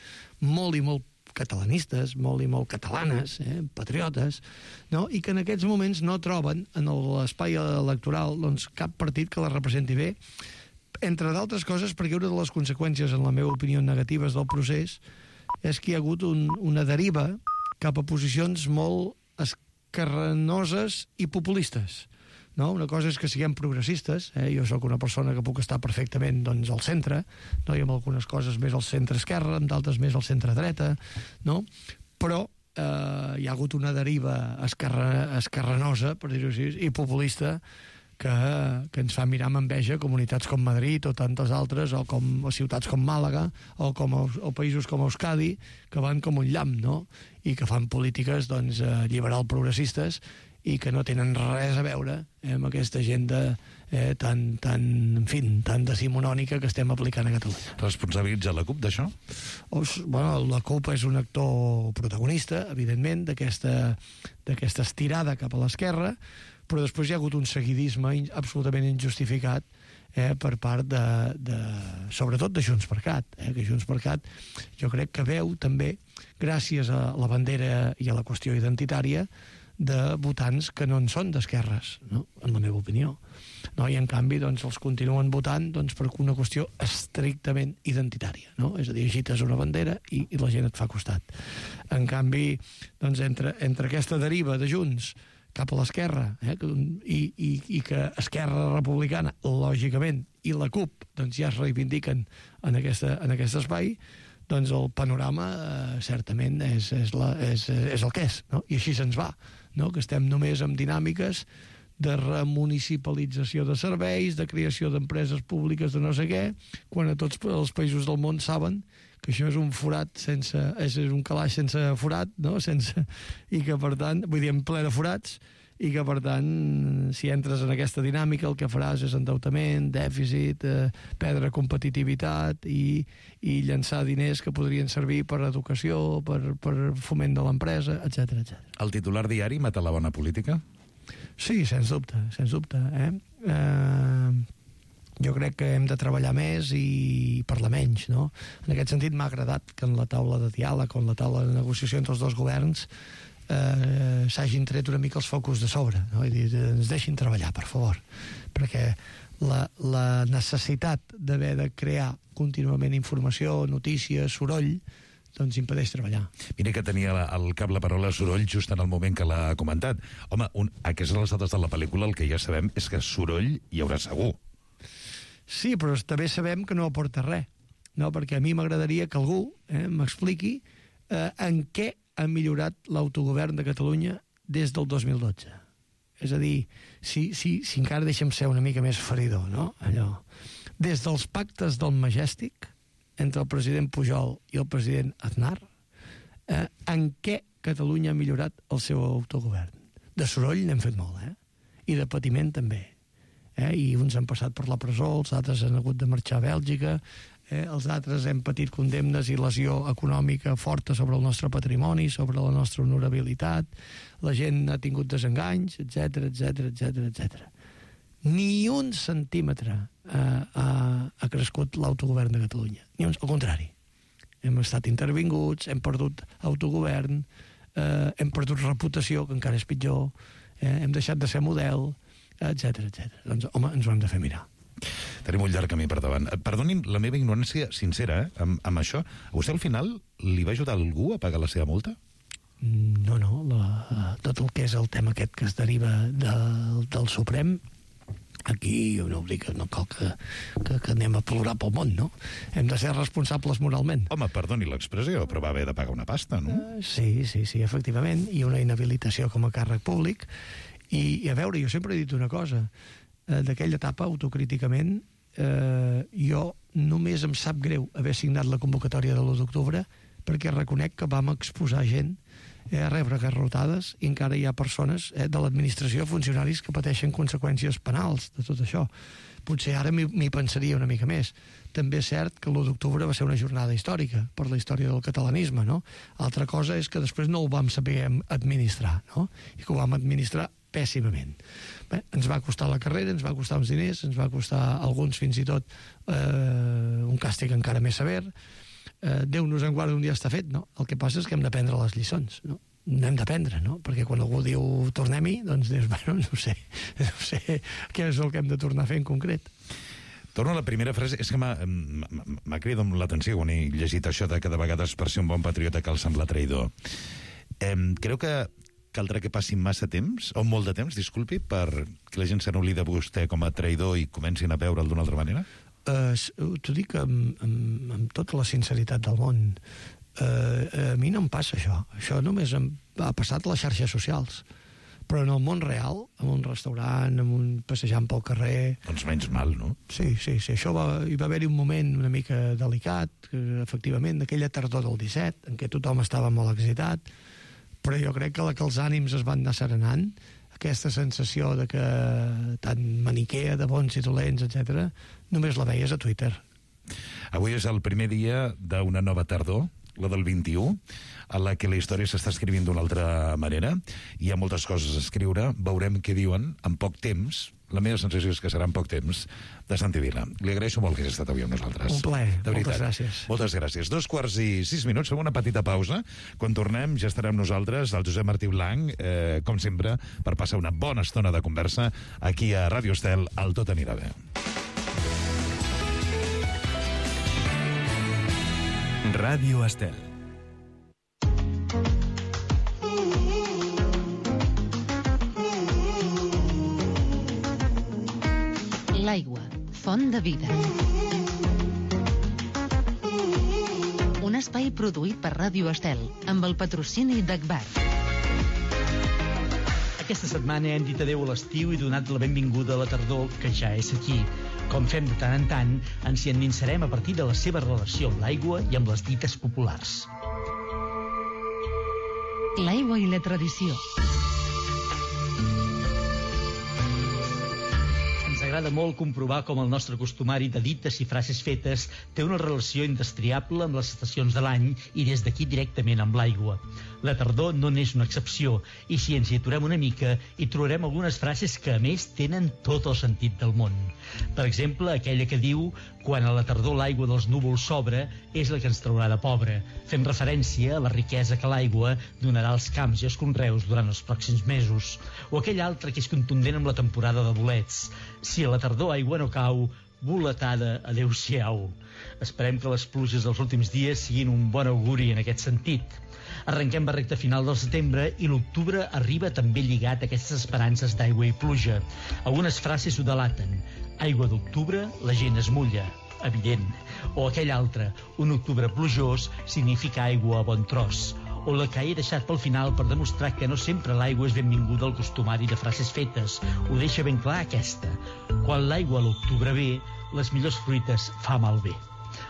[SPEAKER 15] molt i molt catalanistes, molt i molt catalanes, patriotes, no? I que en aquests moments no troben en l'espai electoral doncs, cap partit que la representi bé, entre d'altres coses perquè una de les conseqüències, en la meva opinió, negatives del procés és que hi ha hagut una deriva cap a posicions molt esquerranoses i populistes. No? Una cosa és que siguem progressistes, jo sóc una persona que puc estar perfectament doncs, al centre, no? I amb algunes coses més al centre-esquerra, amb d'altres més al centre-dreta, no? Però hi ha hagut una deriva esquerranosa, per dir-ho així, i populista, que ens fa mirar amb enveja comunitats com Madrid o tantes altres, o ciutats com Màlaga, o països com Euskadi, que van com un llamp, no? I que fan polítiques doncs, liberal-progressistes i que no tenen res a veure amb aquesta agenda tan decimonònica que estem aplicant a Catalunya.
[SPEAKER 14] Responsabilitza la CUP d'això?
[SPEAKER 15] Bueno, la CUP és un actor protagonista, evidentment, d'aquesta estirada cap a l'esquerra, però després hi ha hagut un seguidisme absolutament injustificat per part sobretot de Junts per Cat, que Junts per Cat jo crec que veu també, gràcies a la bandera i a la qüestió identitària, de votants que no en són d'esquerres, no? En la meva opinió. No? I en canvi doncs, els continuen votant doncs, per una qüestió estrictament identitària. No? És a dir, agites una bandera i la gent et fa costat. En canvi, doncs, entre aquesta deriva de Junts cap a l'esquerra i que Esquerra Republicana, lògicament, i la CUP doncs, ja es reivindiquen en aquest espai, doncs el panorama certament és el que és, no? I així se'ns va, no? Que estem només amb dinàmiques de remunicipalització de serveis, de creació d'empreses públiques de no sé què, quan a tots els països del món saben que això és un forat és un calaix sense forat, no? I que per tant, vull dir, en ple de forats, i que, per tant, si entres en aquesta dinàmica, el que faràs és endeutament, dèficit, perdre competitivitat i llançar diners que podrien servir per educació, per foment de l'empresa, etc.
[SPEAKER 14] El titular diari mata la bona política?
[SPEAKER 15] Sí, sens dubte, sens dubte. Jo crec que hem de treballar més i parlar menys, no? En aquest sentit m'ha agradat que en la taula de diàleg o en la taula de negociació entre els dos governs s'hagin tret una mica els focus de sobre, no? I dir, ens deixin treballar, per favor, perquè la necessitat d'haver de crear contínuament informació, notícies, soroll, doncs impedeix treballar.
[SPEAKER 14] Mira que tenia al cap la paraula soroll just en el moment que l'ha comentat. Home, a aquestes alçades de la pel·lícula el que ja sabem és que soroll hi haurà segur.
[SPEAKER 15] Sí, però també sabem que no aporta res, no? Perquè a mi m'agradaria que algú m'expliqui en què ha millorat l'autogovern de Catalunya des del 2012. És a dir, si encara deixem ser una mica més feridor, no? Allò. Des dels pactes del Majestic, entre el president Pujol i el president Aznar, en què Catalunya ha millorat el seu autogovern? De soroll n'hem fet molt, I de patiment també. I uns han passat per la presó, els altres han hagut de marxar a Bèlgica, els altres hem patit condemnes i lesió econòmica forta sobre el nostre patrimoni, sobre la nostra honorabilitat, la gent ha tingut desenganys, etc. Ni un centímetre ha crescut l'autogovern de Catalunya. Al contrari. Hem estat intervinguts, hem perdut autogovern, hem perdut reputació, que encara és pitjor, hem deixat de ser model, etc. Doncs, home, ens ho hem de fer mirar.
[SPEAKER 14] Tenim un llarg camí per davant. Perdonin la meva ignorància sincera amb això. A vostè al final li va ajudar algú a pagar la seva multa?
[SPEAKER 15] No. Tot el que és el tema aquest que es deriva del Suprem, aquí no cal que anem a plorar pel món, no? Hem de ser responsables moralment.
[SPEAKER 14] Home, perdoni l'expressió, però va haver de pagar una pasta, no?
[SPEAKER 15] Sí, efectivament, i una inhabilitació com a càrrec públic. I a veure, jo sempre he dit una cosa, d'aquella etapa, autocríticament, jo només em sap greu haver signat la convocatòria de l'1 d'octubre perquè reconec que vam exposar gent a rebre garrotades i encara hi ha persones de l'administració, funcionaris que pateixen conseqüències penals de tot això. Potser ara m'hi pensaria una mica més. També és cert que l'1 d'octubre va ser una jornada històrica per la història del catalanisme, no? Altra cosa és que després no ho vam saber administrar, no? I que ho vam administrar pèssimament. Bé, ens va costar la carrera, ens va costar uns diners, ens va costar alguns fins i tot un càstig encara més sever. Déu nos en guarda, un dia està fet, no? El que passa és que hem d'aprendre les lliçons, no? N'hem d'aprendre, no? Perquè quan algú diu tornem-hi, doncs dius, bueno, no sé què és el que hem de tornar a fer en concret.
[SPEAKER 14] Torno a la primera frase, és que m'ha cridat l'atenció quan he llegit això de que de vegades per ser un bon patriota cal semblar traïdor. Creu que caldrà que passi massa temps, o molt de temps, disculpi, perquè la gent se n'oblida de vostè com a traïdor i comencin a veure'l d'una altra manera?
[SPEAKER 15] T'ho dic amb tota la sinceritat del món. A mi no em passa això. Això només ha passat a les xarxes socials. Però en el món real, en un restaurant, passejant pel carrer...
[SPEAKER 14] Doncs menys mal, no?
[SPEAKER 15] Sí. Això hi va haver-hi un moment una mica delicat, efectivament, d'aquella tardor del 17, en què tothom estava molt excitat, però jo crec que els ànims es van anar serenant, aquesta sensació de que tan maniquea de bons i dolents, etc., només la veies a Twitter.
[SPEAKER 14] Avui és el primer dia d'una nova tardor, la del 21, a la que la història s'està escrivint d'una altra manera. Hi ha moltes coses a escriure, veurem què diuen en poc temps. La meva sensació és que serà en poc temps, de Santi Vila. Li agraeixo molt que hagi estat avui amb nosaltres.
[SPEAKER 15] Un plaer, moltes gràcies.
[SPEAKER 14] Moltes gràcies. 2:06, fem una petita pausa. Quan tornem ja estarem nosaltres, el Josep Martí Blanc, com sempre, per passar una bona estona de conversa aquí a Ràdio Estel, al Tot anirà bé.
[SPEAKER 1] Ràdio Estel.
[SPEAKER 10] L'aigua, font de vida. Un espai produït per Ràdio Estel, amb el patrocini d'Agbar.
[SPEAKER 16] Aquesta setmana hem dit adeu a l'estiu i donat la benvinguda a la tardor, que ja és aquí. Com fem de tant en tant, ens hi endinsarem a partir de la seva relació amb l'aigua i amb les dites populars.
[SPEAKER 10] L'aigua i la tradició.
[SPEAKER 16] Ens agrada molt comprovar com el nostre costumari de dites i frases fetes té una relació indestriable amb les estacions de l'any i des d'aquí directament amb l'aigua. La tardor no n'és una excepció, i si ens hi aturem una mica, hi trobarem algunes frases que, a més, tenen tot el sentit del món. Per exemple, aquella que diu «Quan a la tardor l'aigua dels núvols s'obre, és la que ens traurà de pobre», fent referència a la riquesa que l'aigua donarà als camps i als conreus durant els pròxims mesos. O aquella altra que és contundent amb la temporada de bolets. «Si a la tardor aigua no cau, boletada, adeu-siau». Esperem que les pluges dels últims dies siguin un bon auguri en aquest sentit. Arrenquem la recta final del setembre i l'octubre arriba també lligat a aquestes esperances d'aigua i pluja. Algunes frases ho delaten. Aigua d'octubre, la gent es mulla. Evident. O aquell altre. Un octubre plujós significa aigua a bon tros. O la que he deixat pel final per demostrar que no sempre l'aigua és benvinguda al costumari de frases fetes. Ho deixa ben clar aquesta. Quan l'aigua a l'octubre ve, les millors fruites fa malbé.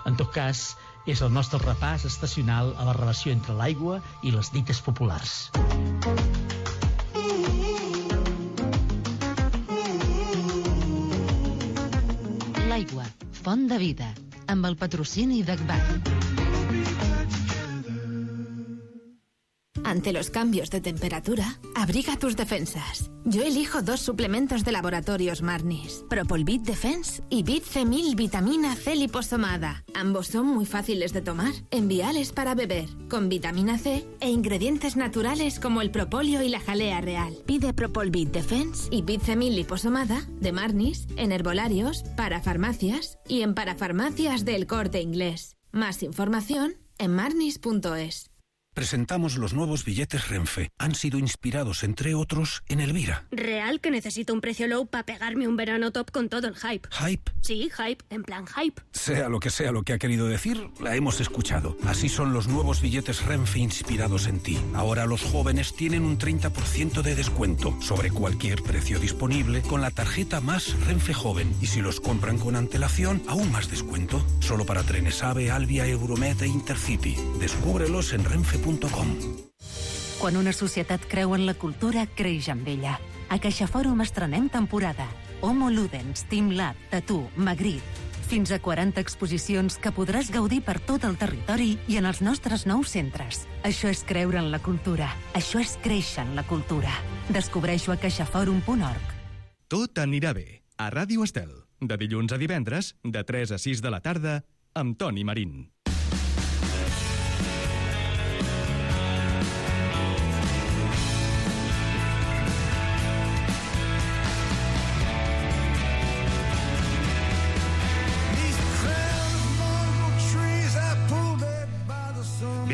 [SPEAKER 16] En tot cas, és el nostre repàs estacional a la relació entre l'aigua i les dites populars.
[SPEAKER 10] L'aigua, font de vida, amb el patrocini d'Agbar.
[SPEAKER 17] Ante los cambios de temperatura, abriga tus defensas. Yo elijo 2 suplementos de laboratorios Marnis, Propolvit Defense y Bit C1000 Vitamina C liposomada. Ambos son muy fáciles de tomar, enviales para beber, con vitamina C e ingredientes naturales como el propóleo y la jalea real. Pide Propolvit Defense y Bit C1000 liposomada de Marnis en herbolarios, parafarmacias y en parafarmacias del Corte Inglés. Más información en marnis.es.
[SPEAKER 18] Presentamos los nuevos billetes Renfe. Han sido inspirados, entre otros, en Elvira.
[SPEAKER 19] Real que necesito un precio low para pegarme un verano top con todo el hype.
[SPEAKER 18] ¿Hype?
[SPEAKER 19] Sí, hype, en plan hype.
[SPEAKER 18] Sea lo que ha querido decir, la hemos escuchado. Así son los nuevos billetes Renfe inspirados en ti. Ahora los jóvenes tienen un 30% de descuento sobre cualquier precio disponible con la tarjeta Más Renfe Joven. Y si los compran con antelación, aún más descuento. Solo para trenes AVE, Alvia, Euromed e Intercity. Descúbrelos en renfe.com.
[SPEAKER 10] Quan una societat creu en la cultura, creix amb ella. A CaixaFòrum estrenem temporada. Homo Ludens, Team Lab, Tatú, Magritte.
[SPEAKER 20] Fins a 40 exposicions que podràs gaudir per tot el territori i en els nostres nous centres. Això és creure en la cultura. Això és créixer en la cultura. Descobreix-ho a caixaforum.org.
[SPEAKER 1] Tot anirà bé. A Ràdio Estel. De dilluns a divendres, de 3 a 6 de la tarda, amb Toni Marín.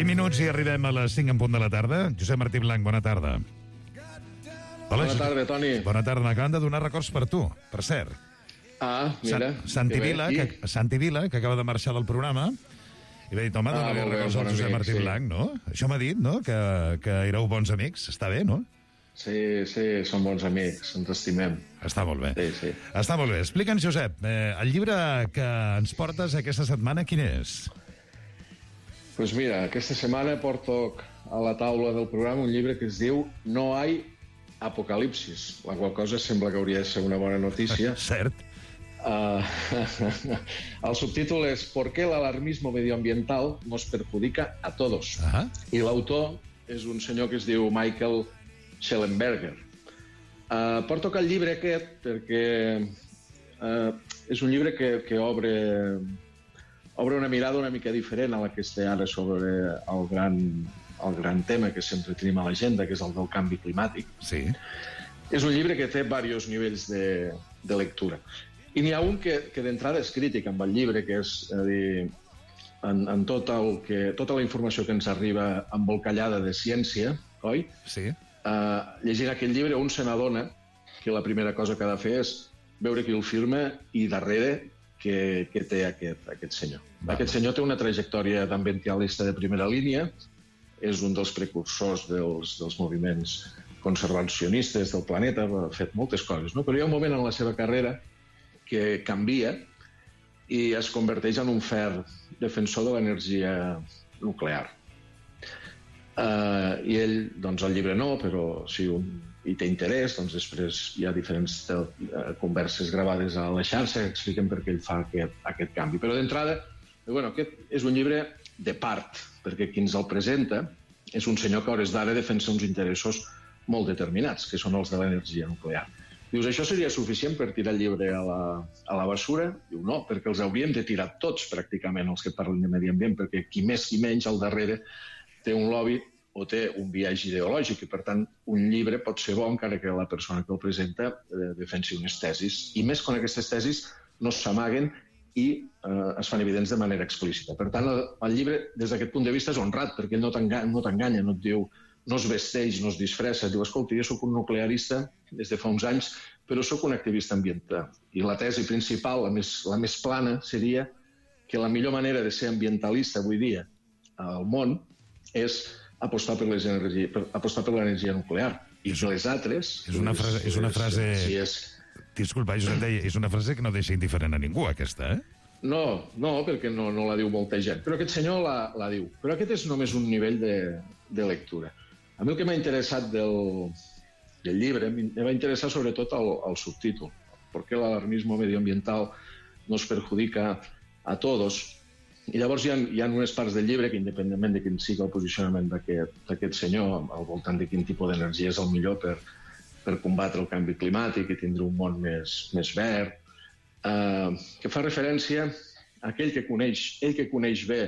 [SPEAKER 14] Minuts i arribem a les 5 en punt de la tarda. Josep Martí Blanc, bona tarda. Hola,
[SPEAKER 21] bona tarda, Toni.
[SPEAKER 14] Bona tarda. M'acaben de donar records per tu, per cert.
[SPEAKER 21] Ah, mira.
[SPEAKER 14] Santi Vila, que acaba de marxar del programa, i m'ha dit, home, dona-li records al Josep Martí Blanc, no? Això m'ha dit, no?, que éreu bons amics. Està bé, no?
[SPEAKER 21] Sí, som bons amics, ens estimem.
[SPEAKER 14] Està molt bé.
[SPEAKER 21] Sí.
[SPEAKER 14] Està molt bé. Explica'ns, Josep, el llibre que ens portes aquesta setmana, quin és?
[SPEAKER 21] Pues mira, aquesta setmana porto a la taula del programa un llibre que es diu No hay apocalipsis, la qual cosa sembla que hauria de ser una bona notícia.
[SPEAKER 14] Cert.
[SPEAKER 21] El subtítol és ¿Por qué el alarmismo medioambiental nos perjudica a todos? I l'autor és un senyor que es diu Michael Schellenberger. Porto el llibre aquest perquè és un llibre que obre una mirada una mica diferent a la que esté ara sobre el gran tema que sempre tenim a l'agenda, que és el del canvi climàtic.
[SPEAKER 14] Sí.
[SPEAKER 21] És un llibre que té diversos nivells de lectura. I n'hi ha un que d'entrada és crític amb el llibre, que és a dir, en tota la informació que ens arriba embolcallada de ciència, oi?
[SPEAKER 14] Sí.
[SPEAKER 21] Llegint aquell llibre un se n'adona que la primera cosa que ha de fer és veure qui el firma i darrere que té aquest senyor. Aquest senyor té una trajectòria d'ambientalista de primera línia, és un dels precursors dels moviments conservacionistes del planeta, ha fet moltes coses, no? Però hi ha un moment en la seva carrera que canvia i es converteix en un ferm defensor de l'energia nuclear. I ell, doncs el llibre no, però si hi té interès, doncs després hi ha diferents converses gravades a la xarxa que expliquen per què ell fa aquest canvi. Però d'entrada, aquest és un llibre de part, perquè qui ens el presenta és un senyor que a hores d'ara defensa uns interessos molt determinats, que són els de l'energia nuclear. Dius, això seria suficient per tirar el llibre a la bessura? Diu, no, perquè els hauríem de tirar tots, pràcticament, els que parlen de medi ambient, perquè qui més qui menys al darrere té un lobby o té un viatge ideològic, i per tant un llibre pot ser bo encara que la persona que el presenta defensi unes tesis, i més quan aquestes tesis no s'amaguen i es fan evidents de manera explícita. Per tant, el llibre, des d'aquest punt de vista, és honrat, perquè ell no t'enganya, no et diu, no es vesteix, no es disfressa, diu, escolta, jo soc un nuclearista des de fa uns anys, però sóc un activista ambiental. I la tesi principal, la més plana, seria que la millor manera de ser ambientalista avui dia al món és apostar per l'energia nuclear. I les altres...
[SPEAKER 14] És una frase... Disculpa, Josep, és una frase que no deixa indiferent a ningú, aquesta, eh?
[SPEAKER 21] No, perquè no la diu molta gent. Però aquest senyor la diu. Però aquest és només un nivell de lectura. A mi el que m'ha interessat del llibre, me va interessar sobretot el subtítol. ¿Por qué el alarmismo medioambiental nos perjudica a todos? I llavors hi ha unes parts del llibre que, independentment de quin sigui el posicionament d'aquest senyor, al voltant de quin tipus d'energia és el millor per combatre el canvi climàtic i tindre un món més verd, que fa referència a ell que coneix bé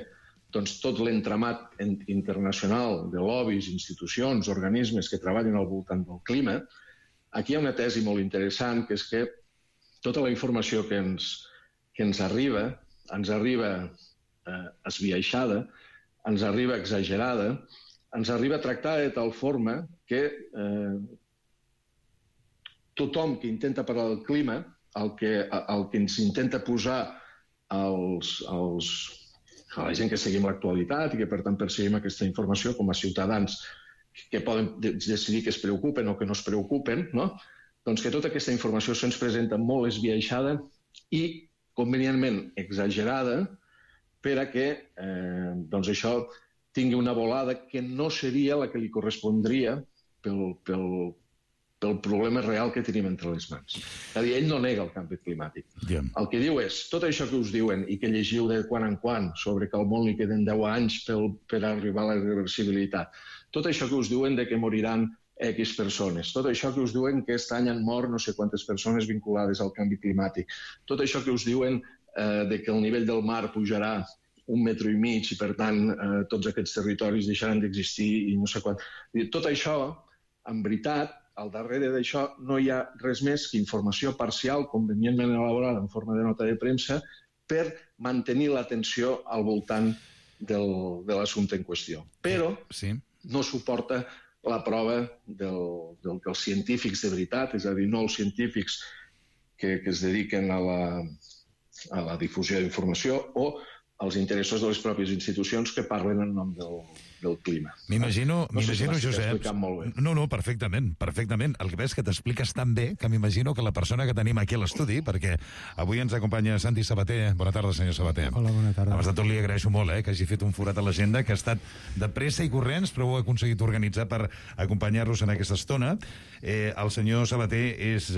[SPEAKER 21] doncs, tot l'entramat internacional de lobbies, institucions, organismes que treballen al voltant del clima. Aquí hi ha una tesi molt interessant, que és que tota la informació que ens arriba esbiaixada, ens arriba exagerada, ens arriba tractada de tal forma que tothom que intenta parlar del clima, el que ens intenta posar a la gent que seguim l'actualitat i que per tant perseguim aquesta informació com a ciutadans que poden decidir que es preocupen o que no es preocupen, no? Doncs que tota aquesta informació se'ns presenta molt esbiaixada i convenientment exagerada per a que doncs això tingui una volada que no seria la que li correspondria pel pel problema real que tenim entre les mans. És a dir, ell no nega el canvi climàtic. El que diu és, tot això que us diuen i que llegiu de quan en quan sobre que al món li queden 10 anys per arribar a la irreversibilitat, tot això que us diuen de que moriran X persones, tot això que us diuen que aquest any han mort no sé quantes persones vinculades al canvi climàtic, tot això que us diuen de que el nivell del mar pujarà 1,5 metres i, per tant, tots aquests territoris deixaran d'existir i no sé quant. Tot això, en veritat, al darrere d'això no hi ha res més que informació parcial, convenientment elaborada en forma de nota de premsa, per mantenir l'atenció al voltant de l'assumpte en qüestió. Però no suporta la prova del que els científics de veritat, és a dir, no els científics que es dediquen a la difusió d'informació o als interessos de les pròpies institucions que parlen en nom del clima.
[SPEAKER 14] M'imagino,
[SPEAKER 21] Josep...
[SPEAKER 14] No, perfectament. El que veus que t'expliques tan bé que m'imagino que la persona que tenim aquí a l'estudi, perquè avui ens acompanya Santi Sabater. Bona tarda, senyor Sabater.
[SPEAKER 3] Hola, bona tarda.
[SPEAKER 14] Abans de tot li agraeixo molt que hagi fet un forat a l'agenda, que ha estat de pressa i corrents, però ho ha aconseguit organitzar per acompanyar-nos en aquesta estona. El senyor Sabater és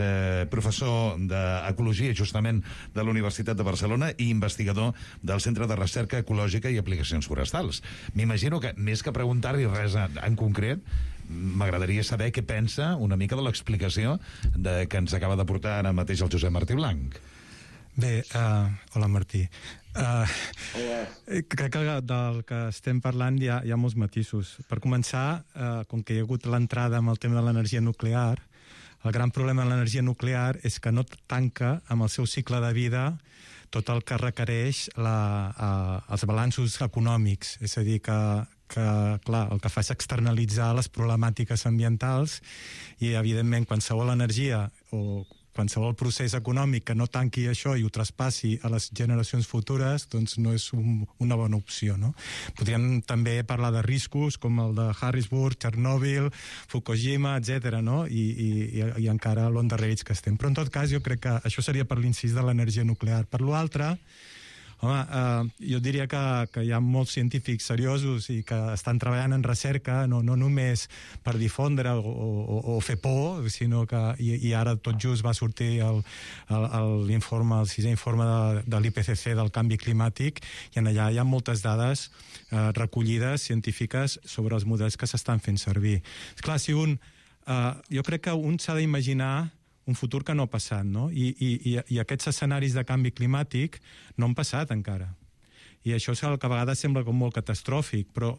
[SPEAKER 14] professor d'Ecologia, justament, de la Universitat de Barcelona i investigador del Centre de Recerca Ecològica i Aplicacions Forestals. M'imagino que, més que preguntar-li res en concret, m'agradaria saber què pensa una mica de l'explicació que ens acaba de portar ara mateix el Josep Martí Blanc.
[SPEAKER 3] Bé, hola Martí. Crec que del que estem parlant hi ha molts matisos. Per començar, com que hi ha hagut l'entrada amb el tema de l'energia nuclear, el gran problema de l'energia nuclear és que no tanca amb el seu cicle de vida tot el que requereix els balanços econòmics. És a dir, que clar, el que fa és externalitzar les problemàtiques ambientals i, evidentment, qualsevol energia o qualsevol procés econòmic que no tanqui això i ho traspassi a les generacions futures, doncs no és una bona opció, no? Podríem també parlar de riscos com el de Harrisburg, Chernobyl, Fukushima, etc., no? I encara l'endarrerits que estem. Però, en tot cas, jo crec que això seria per l'incís de l'energia nuclear. Per l'altre, home, jo diria que hi ha molts científics seriosos i que estan treballant en recerca, no només per difondre o fer por, sinó que, i ara tot just va sortir l'informe, el 6è informe de l'IPCC del canvi climàtic, i en allà hi ha moltes dades recollides científiques sobre els models que s'estan fent servir. Esclar, jo crec que un s'ha d'imaginar un futur que no ha passat, no? I aquests escenaris de canvi climàtic no han passat encara. I això és el que a vegades sembla com molt catastròfic, però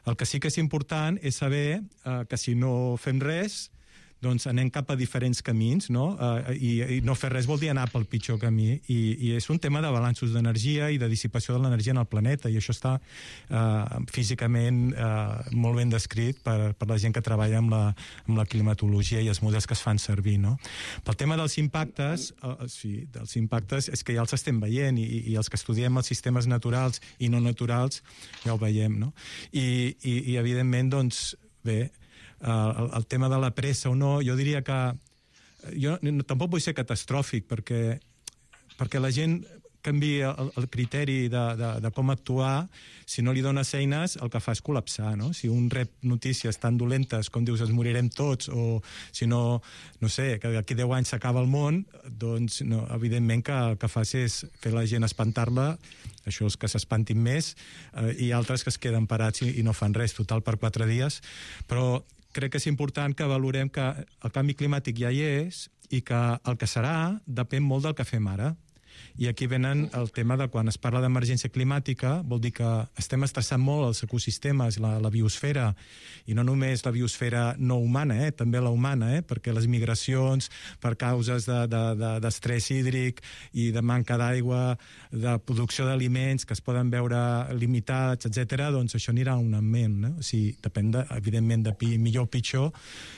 [SPEAKER 3] el que sí que és important és saber que si no fem res, doncs anem cap a diferents camins, no? I no fer res vol dir anar pel pitjor camí. I és un tema de balanços d'energia i de dissipació de l'energia en el planeta, i això està físicament molt ben descrit per la gent que treballa amb la climatologia i els models que es fan servir, no? Pel tema dels impactes, dels impactes és que ja els estem veient, i els que estudiem els sistemes naturals i no naturals ja ho veiem, no? I evidentment, doncs, bé, el tema de la pressa o no, jo diria que jo tampoc vull ser catastròfic perquè la gent canvia el criteri de com actuar. Si no li dones eines, el que fa és col·lapsar, no? Si un rep notícies tan dolentes com dius, ens morirem tots, o si no sé, que d'aquí 10 anys s'acaba el món, doncs no, evidentment que el que fas és fer la gent espantar-la, això és que s'espantin més, i altres que es queden parats i no fan res, total per 4 dies, però crec que és important que valorem que el canvi climàtic ja hi és i que el que serà depèn molt del que fem ara. I aquí venen el tema de quan es parla d'emergència climàtica, vol dir que estem estressant molt els ecosistemes, la biosfera, i no només la biosfera no humana, també la humana, perquè les migracions per causes d'estrès hídric i de manca d'aigua, de producció d'aliments que es poden veure limitats, etc., doncs això anirà un augment, no? O sigui, depèn, evidentment, de millor o pitjor,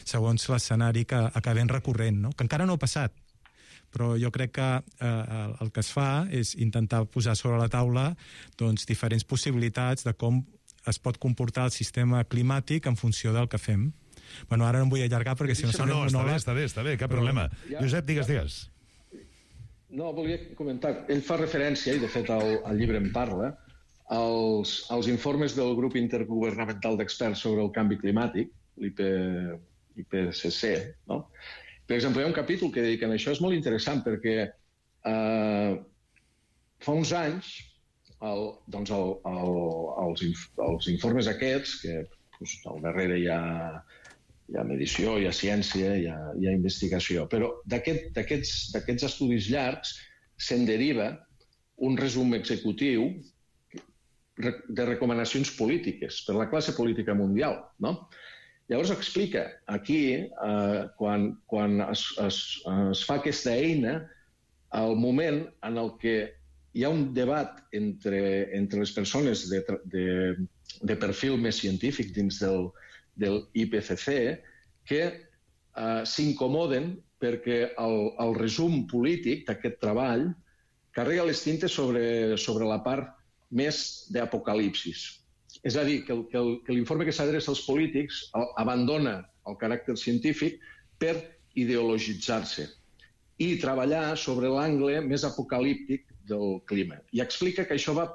[SPEAKER 3] segons l'escenari que acabem recorrent, no? Que encara no ha passat. Però jo crec que el que es fa és intentar posar sobre la taula doncs, diferents possibilitats de com es pot comportar el sistema climàtic en funció del que fem. Bueno, ara no em vull allargar perquè si no...
[SPEAKER 14] No, està bé, cap problema. Josep, digues.
[SPEAKER 21] No, volia comentar. Ell fa referència, i de fet el llibre en parla, als informes del grup intergovernamental d'experts sobre el canvi climàtic, IPCC, no? Per exemple, hi ha un capítol que dediquen a això, és molt interessant perquè fa uns anys els informes aquests, que al darrere hi ha medició, hi ha ciència, hi ha investigació, però d'aquests estudis llargs se'n deriva un resum executiu de recomanacions polítiques per la classe política mundial, no? Llavors explica aquí, quan es fa aquesta eina, el moment en el que hi ha un debat entre les persones de perfil més científic dins del IPCC que s'incomoden perquè el resum polític d'aquest treball carrega les tintes sobre la part més d'apocalipsis. És a dir, que l'informe que s'adreça als polítics abandona el caràcter científic per ideologitzar-se i treballar sobre l'angle més apocalíptic del clima. I explica que això va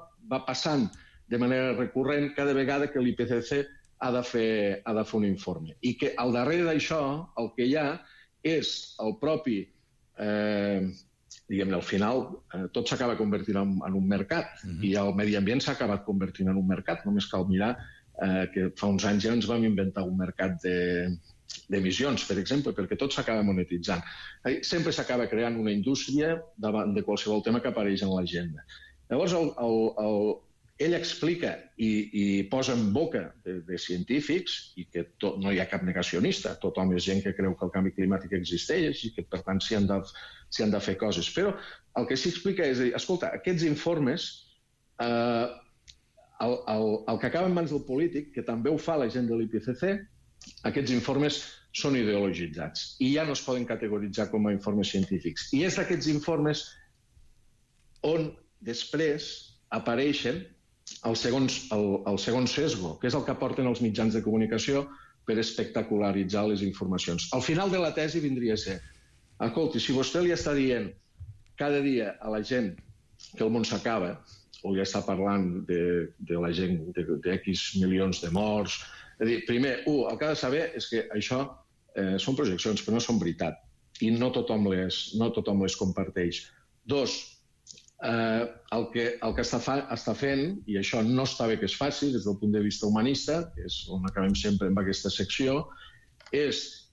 [SPEAKER 21] passant de manera recurrent cada vegada que l'IPCC ha de fer un informe. I que al darrere d'això el que hi ha és el propi, diguem-ne, al final tot s'acaba convertint en un mercat i el medi ambient s'ha acabat convertint en un mercat. Només cal mirar que fa uns anys ja ens vam inventar un mercat d'emissions, per exemple, perquè tot s'acaba monetitzant. Sempre s'acaba creant una indústria davant de qualsevol tema que apareix en l'agenda. Llavors, ell explica i posa en boca de científics, i que no hi ha cap negacionista, tothom és gent que creu que el canvi climàtic existeix i que, per tant, s'hi han de fer coses. Però el que s'hi explica és dir, escolta, aquests informes, el que acaba en mans del polític, que també ho fa la gent de l'IPCC, aquests informes són ideologitzats i ja no es poden categoritzar com a informes científics. I és d'aquests informes on després apareixen el segon sesgo, que és el que aporten els mitjans de comunicació per espectacularitzar les informacions. Al final de la tesi vindria a ser, escolti, si vostè li està dient cada dia a la gent que el món s'acaba, o ja està parlant de la gent d'X milions de morts, és a dir, primer, el que ha de saber és que això són projeccions, però no són veritat, i no tothom les comparteix. Dos, el que està fent, i això no està bé que es faci des del punt de vista humanista, que és on acabem sempre amb aquesta secció, és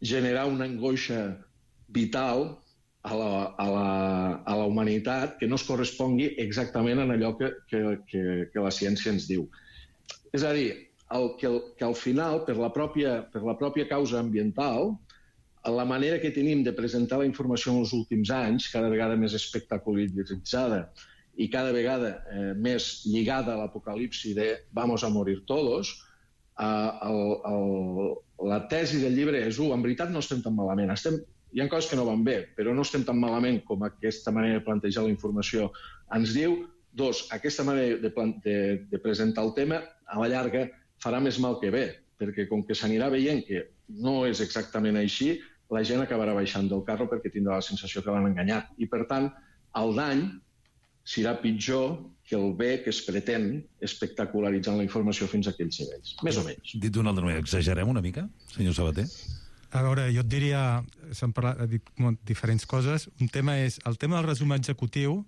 [SPEAKER 21] generar una angoixa vital a la humanitat que no es correspongui exactament en allò que la ciència ens diu. És a dir, que al final, per la pròpia causa ambiental, la manera que tenim de presentar la informació en els últims anys, cada vegada més espectacularitzada i cada vegada més lligada a l'apocalipsi de vamos a morir todos, la tesi del llibre és, en veritat no estem tan malament. Hi ha coses que no van bé, però no estem tan malament com aquesta manera de plantejar la informació ens diu. Dos, aquesta manera de presentar el tema, a la llarga, farà més mal que bé, perquè com que s'anirà veient que no és exactament així, la gent acabarà baixant del carro perquè tindrà la sensació que l'han enganyat. I, per tant, el dany serà pitjor que el bé que es pretén espectacularitzant la informació fins a aquells nivells. Més o menys.
[SPEAKER 14] Dit d'una altra manera, exagerem una mica, senyor Sabater?
[SPEAKER 3] A veure, jo et diria, s'han dit diferents coses. Un tema és, el tema del resum executiu,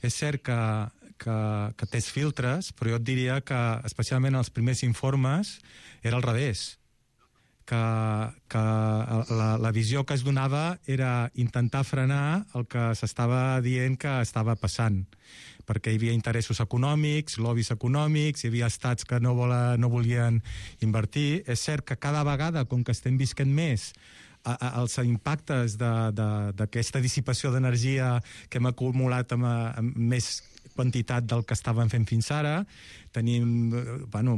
[SPEAKER 3] és cert que té filtres, però jo et diria que, especialment els primers informes, era al revés. Que la visió que es donava era intentar frenar el que s'estava dient que estava passant, perquè hi havia interessos econòmics, lobbies econòmics, hi havia estats que no volien invertir. És cert que cada vegada, com que estem visquent més, els impactes d'aquesta dissipació d'energia que hem acumulat amb més quantitat del que estàvem fent fins ara, tenim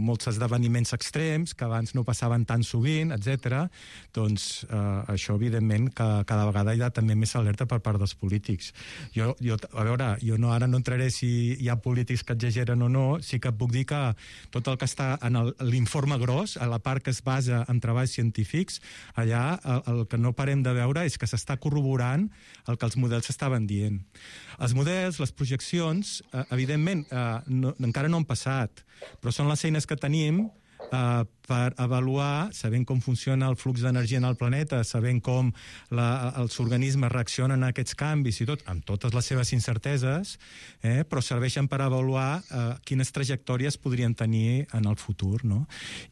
[SPEAKER 3] molts esdeveniments extrems que abans no passaven tan sovint, etc. Doncs això, evidentment, que cada vegada hi ha també més alerta per part dels polítics. A veure, jo ara no entraré si hi ha polítics que exageren o no, sí que puc dir que tot el que està en l'informe gros, a la part que es basa en treballs científics, allà el que no parem de veure és que s'està corroborant el que els models estaven dient. Els models, les projeccions, evidentment, encara no han passat, però són les eines que tenim per avaluar, sabent com funciona el flux d'energia en el planeta, sabent com els organismes reaccionen a aquests canvis i tot, amb totes les seves incerteses, però serveixen per avaluar quines trajectòries podrien tenir en el futur, no?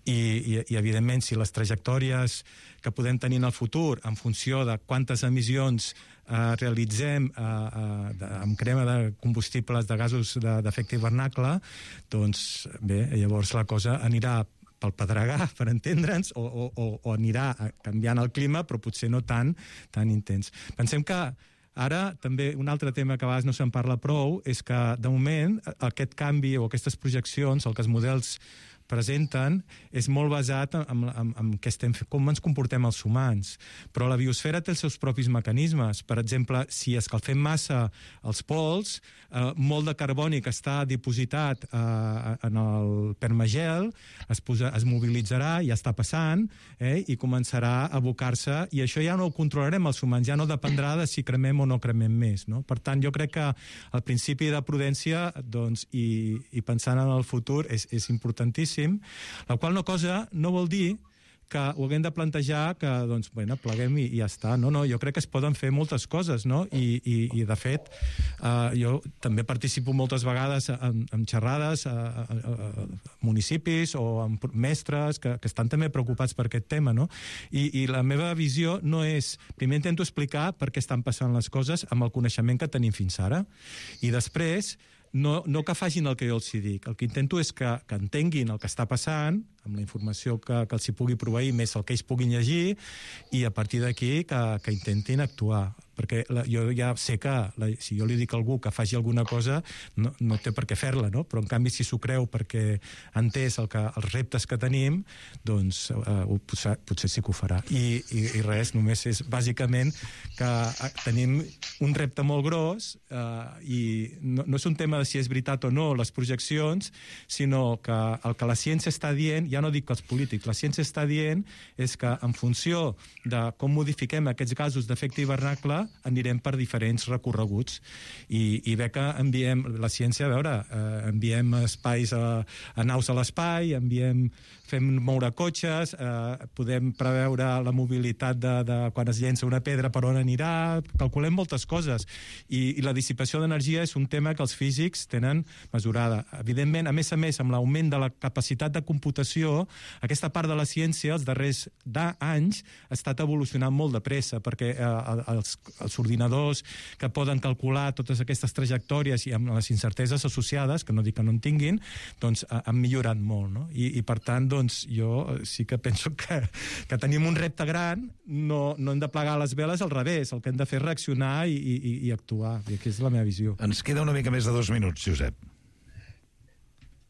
[SPEAKER 3] I evidentment, si les trajectòries que podem tenir en el futur, en funció de quantes emissions realitzem amb crema de combustibles de gasos d'efecte hivernacle, doncs bé, llavors la cosa anirà pel pedregar, per entendre'ns, o anirà canviant el clima, però potser no tan intens. Pensem que ara també un altre tema que a vegades no se'n parla prou és que, de moment, aquest canvi o aquestes projeccions, el que els models presenten, és molt basat en com ens comportem els humans. Però la biosfera té els seus propis mecanismes. Per exemple, si escalfem massa els pols, molt de carboni que està dipositat en el permagel es mobilitzarà, ja està passant, i començarà a abocar-se, i això ja no ho controlarem els humans, ja no dependrà de si cremem o no cremem més, no? Per tant, jo crec que el principi de prudència, doncs, i pensant en el futur és importantíssim, la qual cosa no vol dir que ho haguem de plantejar que, doncs, bueno, pleguem i ja està. No, jo crec que es poden fer moltes coses, no? I de fet, jo també participo moltes vegades en xerrades a municipis o amb mestres que estan també preocupats per aquest tema, no? I la meva visió no és... Primer intento explicar per què estan passant les coses amb el coneixement que tenim fins ara, i després no que facin el que jo els dic. El que intento és que entenguin el que està passant, amb la informació que els hi pugui proveir, més el que ells puguin llegir, i a partir d'aquí que intentin actuar. Perquè jo ja sé que si jo li dic a algú que faci alguna cosa no té per què fer-la, no? Però en canvi si s'ho creu perquè ha entès els reptes que tenim, doncs potser sí que ho farà. I res, només és bàsicament que tenim un repte molt gros, i no és un tema de si és veritat o no les projeccions, sinó que el que la ciència està dient, ja no dic que els polítics, la ciència està dient és que en funció de com modifiquem aquests gasos d'efecte hivernacle anirem per diferents recorreguts, i bé que enviem la ciència, a veure, enviem espais a naus a l'espai, fem moure cotxes, podem preveure la mobilitat de quan es llença una pedra per on anirà, calculem moltes coses, i la dissipació d'energia és un tema que els físics tenen mesurada. Evidentment, a més, amb l'augment de la capacitat de computació, aquesta part de la ciència els darrers anys ha estat evolucionant molt de pressa, perquè els ordinadors que poden calcular totes aquestes trajectòries i amb les incerteses associades, que no dic que no en tinguin, doncs han millorat molt, no? I per tant, doncs, jo sí que penso que tenim un repte gran, no hem de plegar les veles, al revés, el que hem de fer és reaccionar i actuar, i aquesta és la meva visió.
[SPEAKER 14] Ens queda una mica més de 2 minuts, Josep.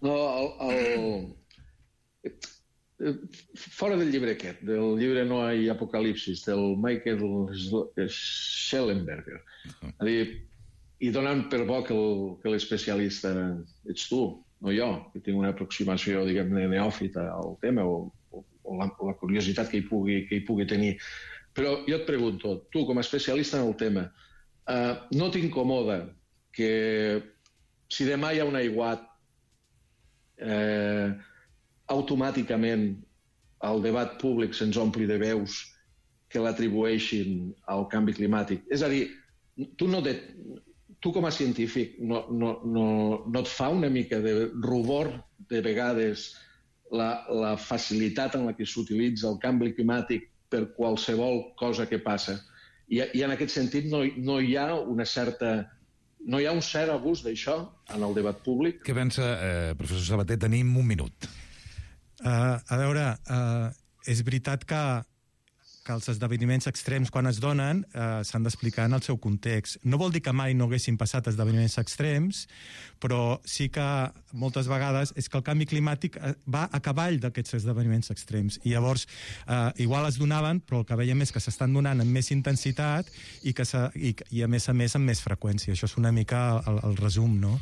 [SPEAKER 21] No, fora del llibre aquest, del llibre No hay apocalipsis, del Michael Schellenberger, i donant per bo que l'especialista ets tu, no jo, que tinc una aproximació, diguem-ne, neòfita al tema, o la curiositat que hi pugui tenir. Però jo et pregunto, tu, com a especialista en el tema, no t'incomoda que si demà hi ha un aiguat, automàticament el debat públic se'ns ompli de veus que l'atribueixin al canvi climàtic? És a dir, tu com a científic no et fa una mica de rubor de vegades la facilitat en la que s'utilitza el canvi climàtic per qualsevol cosa que passa? I en aquest sentit no hi ha un cert abús d'això en el debat públic?
[SPEAKER 14] Què pensa, professor Sabater? Tenim un minut.
[SPEAKER 3] A veure, és veritat que els esdeveniments extrems, quan es donen, s'han d'explicar en el seu context. No vol dir que mai no haguessin passat esdeveniments extrems, però sí que moltes vegades és que el canvi climàtic va a cavall d'aquests esdeveniments extrems. I llavors, igual es donaven, però el que veiem és que s'estan donant amb més intensitat i a més amb més freqüència. Això és una mica el resum, no?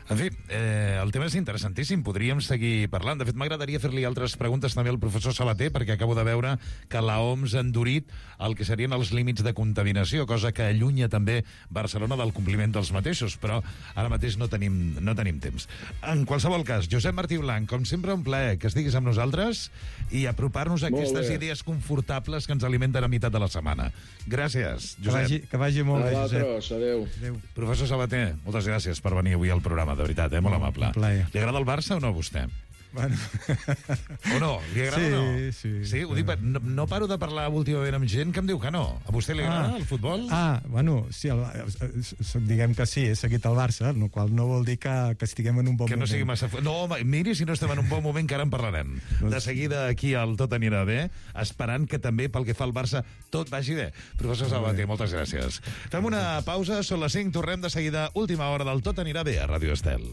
[SPEAKER 14] En fi, el tema és interessantíssim, podríem seguir parlant. De fet, m'agradaria fer-li altres preguntes també al professor Sabater, perquè acabo de veure que la OMS ha endurit el que serien els límits de contaminació, cosa que allunya també Barcelona del compliment dels mateixos, però ara mateix no tenim temps. En qualsevol cas, Josep Martí Blanc, com sempre, un plaer que estiguis amb nosaltres i apropar-nos a aquestes idees confortables que ens alimenten a meitat de la setmana. Gràcies, Josep.
[SPEAKER 3] Que vagi molt bé, Josep.
[SPEAKER 21] Adéu.
[SPEAKER 14] Professor Sabater, moltes gràcies per venir avui al programa, de veritat, molt amable. Li agrada el Barça o no a vostè?
[SPEAKER 3] Bueno.
[SPEAKER 14] O no? Li agrada o no?
[SPEAKER 3] Sí.
[SPEAKER 14] Ho dic, no paro de parlar últimament amb gent que em diu que no. A vostè li agrada el futbol?
[SPEAKER 3] Bueno, sí, diguem que sí, he seguit el Barça, el qual no vol dir que estiguem en un bon moment.
[SPEAKER 14] Que no sigui massa... No, miri, si no estem en un bon moment, que ara en parlarem. De seguida aquí al Tot anirà bé, esperant que també pel que fa al Barça tot vagi bé. Professor Sabater, moltes gràcies. Fem una pausa, són les 5, tornem de seguida, última hora del Tot anirà bé a Ràdio Estel.